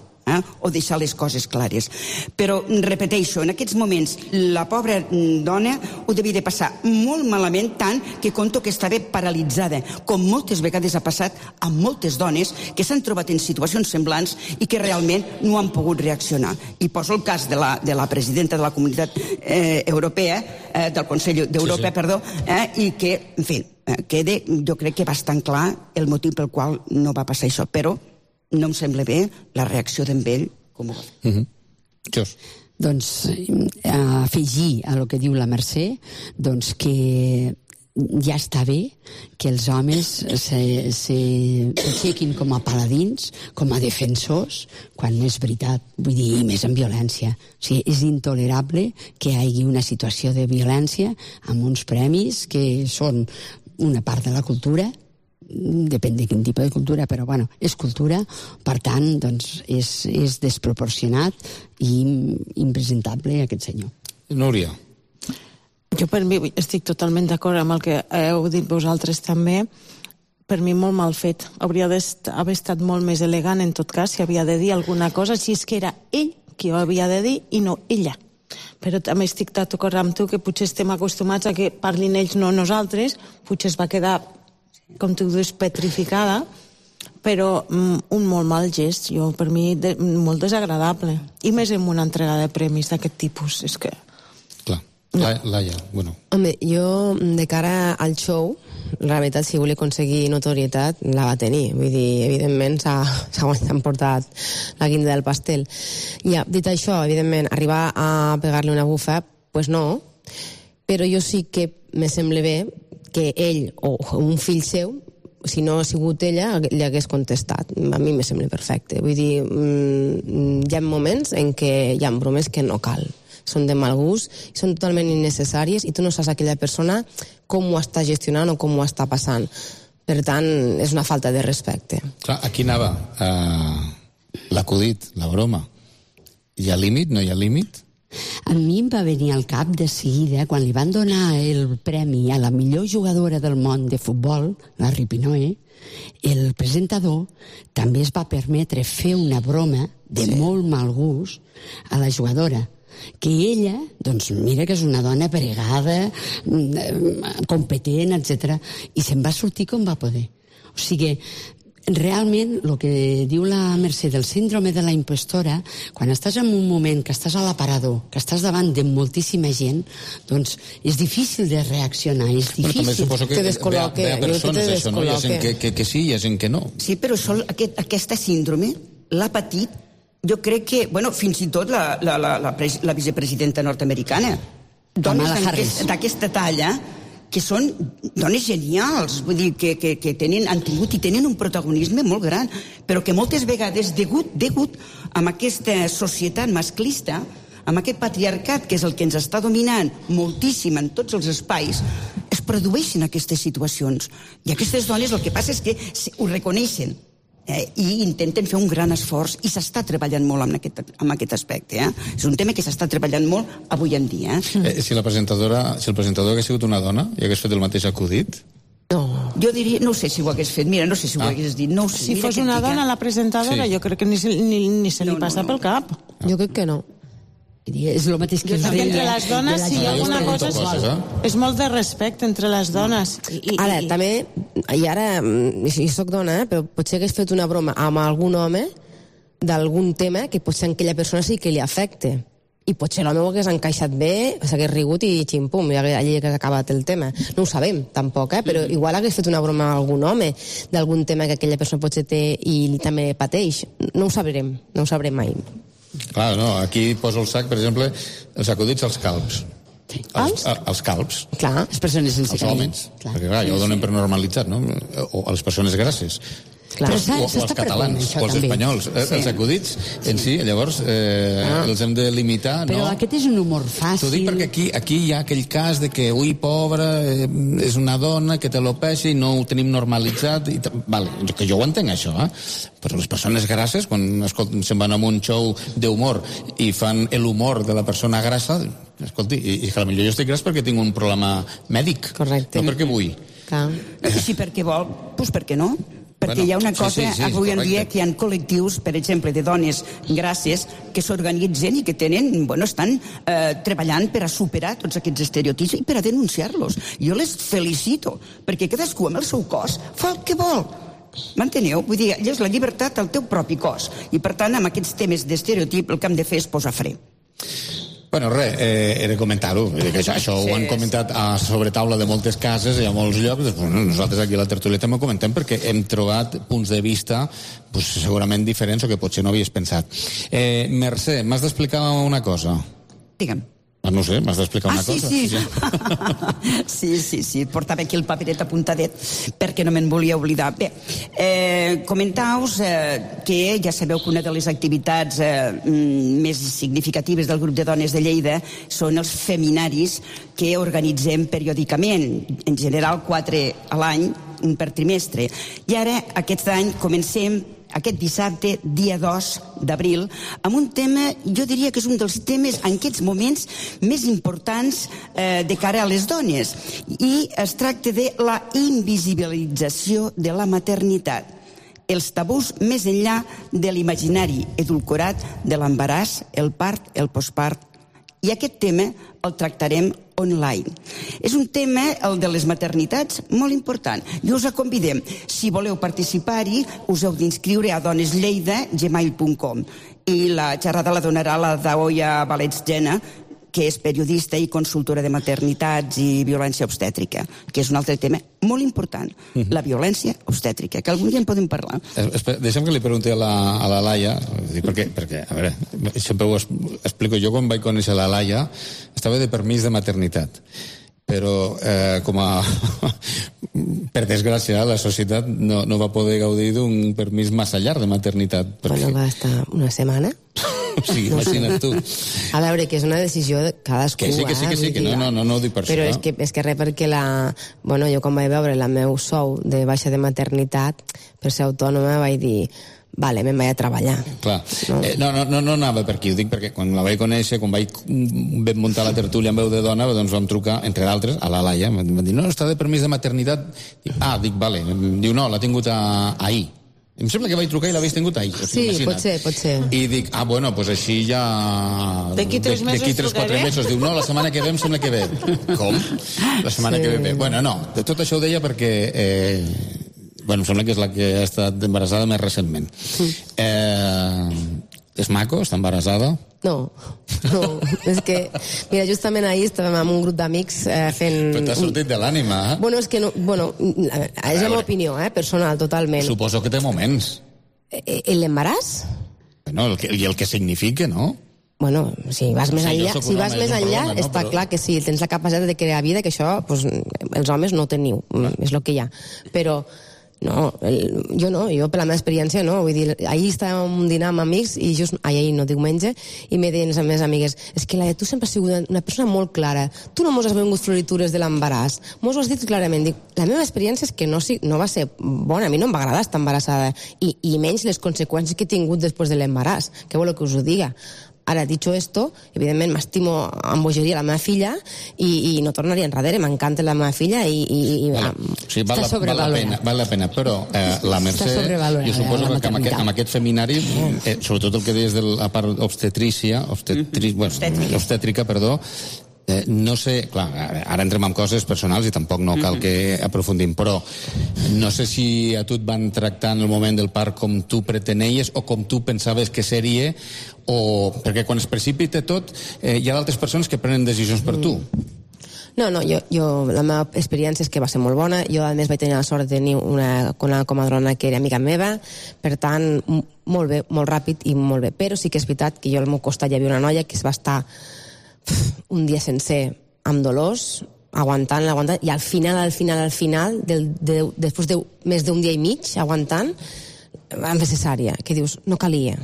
o deixar les coses clares. Però, repeteixo, en aquests moments la pobra dona ho devia de passar molt malament, tant que conto que estava paralitzada, com moltes vegades ha passat amb moltes dones que s'han trobat en situacions semblants i que realment no han pogut reaccionar. I poso el cas de la presidenta de la Comunitat Europea, del Consell d'Europa, perdó, i que, en fi, queda, jo crec que bastant clar el motiu pel qual no va passar això, però no em sembla bé la reacció d'en ell com ho va fer. Jos. Doncs afegir a lo que diu la Mercè, doncs que ja està bé que els homes s'aixequin com a paladins, com a defensors, quan no és veritat, vull dir, i més en violència. O sigui, és intolerable que hi hagi una situació de violència amb uns premis que són una part de la cultura, depèn de quin tipus de cultura, però bueno, és cultura, per tant, doncs, és desproporcionat i impresentable aquest senyor. Núria. Jo per mi estic totalment d'acord amb el que heu dit vosaltres també. Per mi molt mal fet. Hauria d'haver estat molt més elegant en tot cas si havia de dir alguna cosa, si és que era ell qui ho havia de dir i no ella. Però també estic d'acord amb tu que potser estem acostumats a que parlin ells, no nosaltres. Potser es va quedar, com tu dius, petrificada, però un molt mal gest, per mi molt desagradable. I més en una entrega de premis d'aquest tipus. És que... Laia, bueno. Home, jo, de cara al show, la veritat, si volia aconseguir notorietat, la va tenir. Vull dir, evidentment, s'ha emportat la guinda del pastel. Ja, dit això, evidentment, arribar a pegar-li una bufa, pues no, però jo sí que me sembla bé que ell o un fill seu, si no ha sigut ella, li hagués contestat. A mi me sembla perfecte. Vull dir, hi ha moments en què hi ha bromes que no cal. Són de mal gust, són totalment innecessàries i tu no saps aquella persona com ho està gestionant o com ho està passant. Per tant, és una falta de respecte. Clar, aquí anava l'acudit, la broma. Hi ha límit? No hi ha límit? A mi em va venir al cap de seguida, quan li van donar el premi a la millor jugadora del món de futbol, la Ripinoe, el presentador també es va permetre fer una broma de molt mal gust a la jugadora, que ella, doncs mira que és una dona pregada, competent, etc. I se'n va sortir com va poder. O sigui, realment, el que diu la Mercè del síndrome de la impostora, quan estàs en un moment que estàs a l'aparador, que estàs davant de moltíssima gent, doncs és difícil de reaccionar, és difícil. Però també suposo que ve a persones, això, no? Hi ha gent que sí, hi ha gent que no. Sí, però aquesta síndrome l'ha patit, jo crec que, bueno, fins i tot la vicepresidenta nord-americana. Dones d'aquesta talla que són dones genials, vull dir, que han tingut i tenen un protagonisme molt gran, però que moltes vegades, degut a aquesta societat masclista, amb aquest patriarcat que és el que ens està dominant moltíssim en tots els espais, es produeixen aquestes situacions. I aquestes dones el que passa és que ho reconeixen i intenten fer un gran esforç i s'està treballant molt en aquest aspecte. És un tema que s'està treballant molt avui en dia. Si el presentador hagués sigut una dona i hagués fet el mateix acudit? No. Jo diria, no sé si ho hagués fet, mira, no sé si ho hagués dit. No sé, si fos una dona la presentadora, jo crec que ni se li passa pel cap. Jo crec que no. És el mateix que entre les dones, si hi ha alguna cosa, és molt de respecte entre les dones. Ara, també, i ara, si soc dona, però potser hagués fet una broma amb algun home d'algun tema que potser a aquella persona sí que li afecte. I potser l'home ho hagués encaixat bé, s'hagués rigut i xim-pum, i allí hagués acabat el tema. No ho sabem, tampoc, però igual hagués fet una broma a algun home d'algun tema que aquella persona potser té i també pateix. No ho sabrem mai. Clar, no, aquí poso el sac, per exemple, els acudits als calbs. Els calbs. Clar, les persones sense cabell. Els homes, perquè clar, ja ho donen per normalitzat, no? O a les persones grasses. Clar, o els catalans, o els espanyols. Els acudits en si, llavors, els hem de limitar, no? Però aquest és un humor fàcil. T'ho dic perquè aquí hi ha aquell cas de que, ui, pobra, és una dona que te lo peixa i no ho tenim normalitzat. Vale, que jo ho entenc, això, però les persones grasses, quan se'n van a un show d'humor i fan l'humor de la persona grassa, escolti, i que potser jo estic gras perquè tinc un problema mèdic. Correcte. No perquè vull. I si perquè vol, doncs per què no? Perquè hi ha una cosa, avui en dia, que hi ha col·lectius, per exemple, de dones grasses que s'organitzen i que estan treballant per a superar tots aquests estereotips i per a denunciar-los. Jo les felicito, perquè cadascú amb el seu cos fa el que vol. M'enteneu? Vull dir, és la llibertat al teu propi cos. I, per tant, amb aquests temes d'estereotip, el que hem de fer és posar fre. Bueno, res, era comentar-ho. Això ho han comentat a sobretaula de moltes cases i a molts llocs. Nosaltres aquí a la tertúlia també ho comentem perquè hem trobat punts de vista segurament diferents o que potser no havies pensat. Mercè, m'has d'explicar una cosa. Digue'm. No sé, m'has d'explicar una cosa. Sí, portava aquí el paperet apuntadet perquè no me'n volia oblidar. Bé, comentau-vos que ja sabeu que una de les activitats més significatives del grup de dones de Lleida són els feminaris que organitzem periòdicament, en general 4 a l'any, un per trimestre. I ara, aquest any, comencem aquest dissabte, dia 2 d'abril, amb un tema, jo diria que és un dels temes en aquests moments més importants de cara a les dones. I es tracta de la invisibilització de la maternitat. Els tabús més enllà de l'imaginari edulcorat de l'embaràs, el part, el postpart. I aquest tema el tractarem online. És un tema, el de les maternitats, molt important. I us convidem. Si voleu participar-hi, us heu d'inscriure a doneslleida@gmail.com. I la xerrada la donarà la Daoia Valets-Gena, que és periodista i consultora de maternitats i violència obstètrica, que és un altre tema molt important, la violència obstètrica, que algun dia en podem parlar. Deixa'm que li pregunti a la Laia, perquè, a veure, sempre ho explico, jo quan vaig conèixer la Laia estava de permís de maternitat, però per desgràcia la societat no va poder gaudir d'un permís massa llarg de maternitat. Bueno, va estar una setmana. Sí, imagina't tu. A veure, que és una decisió de cadascú. Que sí, que no ho dic per això. Però és que res, perquè jo quan vaig veure el meu sou de baixa de maternitat, per ser autònoma, vaig dir, vale, me'n vaig a treballar. Clar. No anava per aquí, ho dic perquè quan la vaig conèixer, quan vam muntar la tertúlia amb veu de dona, doncs vam trucar, entre d'altres, a la Laia, em van dir, no, està de permís de maternitat. Dic, vale. Diu, no, l'ha tingut ahir. Em sembla que vaig trucar i l'havies tingut ahir. Sí, pot ser. I dic, pues així ja... D'aquí 3-4 mesos. Diu, no, la setmana que ve em sembla que ve. Com? La setmana que ve. Bueno, no, de tot això ho deia perquè... em sembla que és la que ha estat embarassada més recentment. És maco? Està embarassada? No, és que, mira, justament ahir estàvem amb un grup d'amics fent... Però t'ha sortit de l'ànima, eh? Bueno, és que no, és la meva opinió, personal, totalment. Suposo que té moments. L'embaràs? No, i el que significa, no? Bueno, si vas més enllà, està clar que sí, tens la capacitat de crear vida, que això, els homes no teniu, és el que hi ha. Però... No, jo per la meva experiència no, vull dir, ahir estàvem dinant amb amics i ahir no, diumenge, i me deien les meves amigues, és que tu sempre has sigut una persona molt clara, tu no mos has vengut floritures de l'embaràs, mos ho has dit clarament. Dic, la meva experiència és que no va ser bona, a mi no em va agradar estar embarassada, i menys les conseqüències que he tingut després de l'embaràs, què voleu que us ho diga? Ara, dicho esto, evidentment m'estimo amb bogeria la meva filla i no tornaria enrere, m'encanta la meva filla i està sobrevalorada. Val la pena, però la Mercè, jo suposo que amb aquest feminari, sobretot el que deies de la part obstetrícia, obstètrica, no sé, clar, ara entrem en coses personals i tampoc no cal que aprofundim, però no sé si a tu et van tractar en el moment del part com tu pretenies o com tu pensaves que seria, o perquè quan es precipita tot hi ha d'altres persones que prenen decisions per tu. No, jo la meva experiència és que va ser molt bona. Jo, a més, vaig tenir la sort de tenir una comadrona que era amiga meva, per tant, molt bé, molt ràpid i molt bé. Però sí que és veritat que jo al meu costat hi havia una noia que es va estar un dia sencer amb dolors, aguantant, i al final, després de més d'un dia i mig aguantant, van fer cesària, que dius, no calia,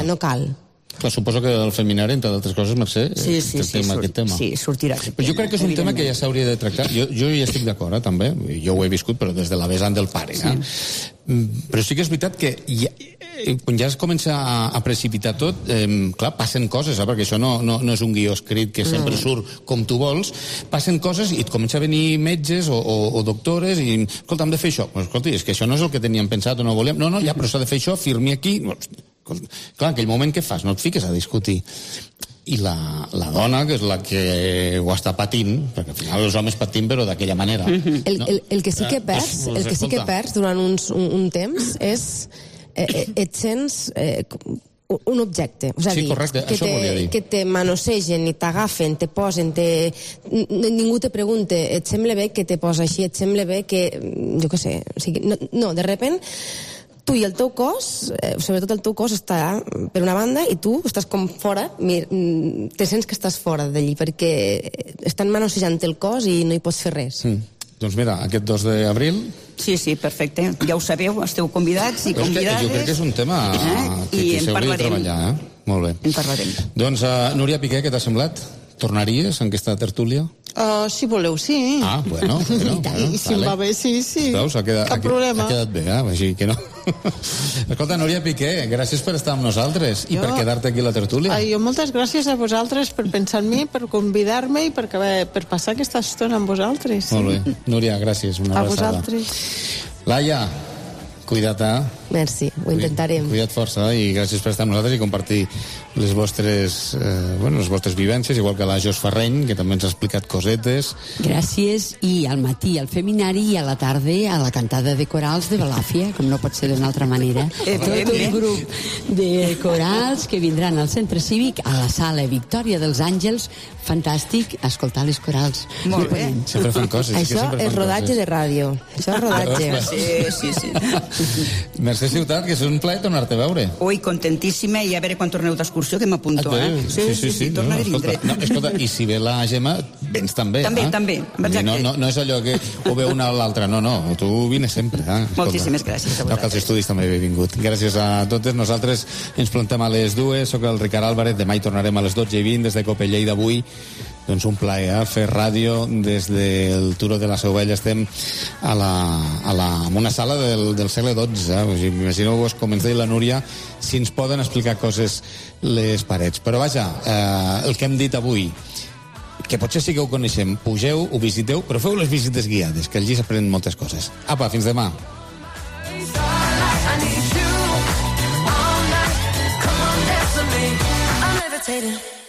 no cal. Clar, suposo que el feminari, entre d'altres coses, Mercè, aquest tema. Sí, sortirà. Però jo crec que és un tema que ja s'hauria de tractar. Jo hi estic d'acord, també. Jo ho he viscut, però des de la vessant del pare. Però sí que és veritat que quan ja es comença a precipitar tot, clar, passen coses, perquè això no és un guió escrit que sempre surt com tu vols, passen coses i et comença a venir metges o doctores i, escolta, hem de fer això. Escolta, és que això no és el que teníem pensat o no volíem. No, ja, però s'ha de fer això, firmi aquí. Clar, en aquell moment què fas? No et fiques a discutir. I la dona, que és la que ho està patint, perquè al final els homes patim, però d'aquella manera. El que sí que perds durant un temps és et sents un objecte, sí, correcte, això volia dir, que te manosegen i t'agafen, te posen, ningú te pregunta, et sembla bé que te posa així, et sembla bé que, jo què sé, de repent tu i el teu cos, sobretot el teu cos està per una banda i tu estàs com fora, te sents que estàs fora d'allí perquè estan manossejant el cos i no hi pots fer res. Doncs mira, aquest 2 d'abril... Sí, perfecte. Ja ho sabeu, esteu convidats i convidades. Jo crec que és un tema que s'hauria de treballar. Molt bé. En parlarem. Doncs, Núria Piqué, què t'ha semblat? Tornaries en aquesta tertúlia? Si voleu, sí. Bueno. Si em va bé, sí. Veus, cap problema. Ha quedat bé, així que no. Escolta, Núria Piqué, gràcies per estar amb nosaltres i per quedar-te aquí a la tertúlia. Jo moltes gràcies a vosaltres per pensar en mi, per convidar-me i per passar aquesta estona amb vosaltres. Molt bé. Núria, gràcies. Una abraçada. A vosaltres. Laia, cuida't, Merci, ho intentarem. Cuida't força i gràcies per estar amb nosaltres i compartir les vostres vivències, igual que la Jos Ferreny, que també ens ha explicat cosetes. Gràcies, i al matí al Feminari i a la tarda a la cantada de corals de Balàfia, com no pot ser d'una altra manera. Tot un grup de corals que vindran al Centre Cívic, a la sala Victòria dels Àngels, fantàstic, a escoltar les corals. Molt bé. Sempre fan coses. Això és rodatge de ràdio. Això és rodatge. Sí. Mercè Ciutat, que és un plaer tornar-te a veure. Ui, contentíssima, i a veure quan torneu d'excursió, que m'apunto, Sí. Tornaré d'indret. Escolta, i si ve la Gemma, vens també. També, exacte. No és allò que o ve una o l'altra, no, tu vines sempre. Moltíssimes gràcies a vosaltres. Que als estudis també he vingut. Gràcies a totes. Nosaltres ens plantem a les 2, soc el Ricard Álvarez, demà hi tornarem a les 12:20 des de Copellei d'avui. Doncs un plaer fer ràdio des del Turó de la Seu Vella. Estem en una sala del segle XII. Imagineu-vos, com ens deia la Núria, si ens poden explicar coses les parets. Però vaja, el que hem dit avui, que potser sí que ho coneixem, pugeu, ho visiteu, però feu les visites guiades, que allí s'aprenen moltes coses. Apa, fins demà. I'm levitating.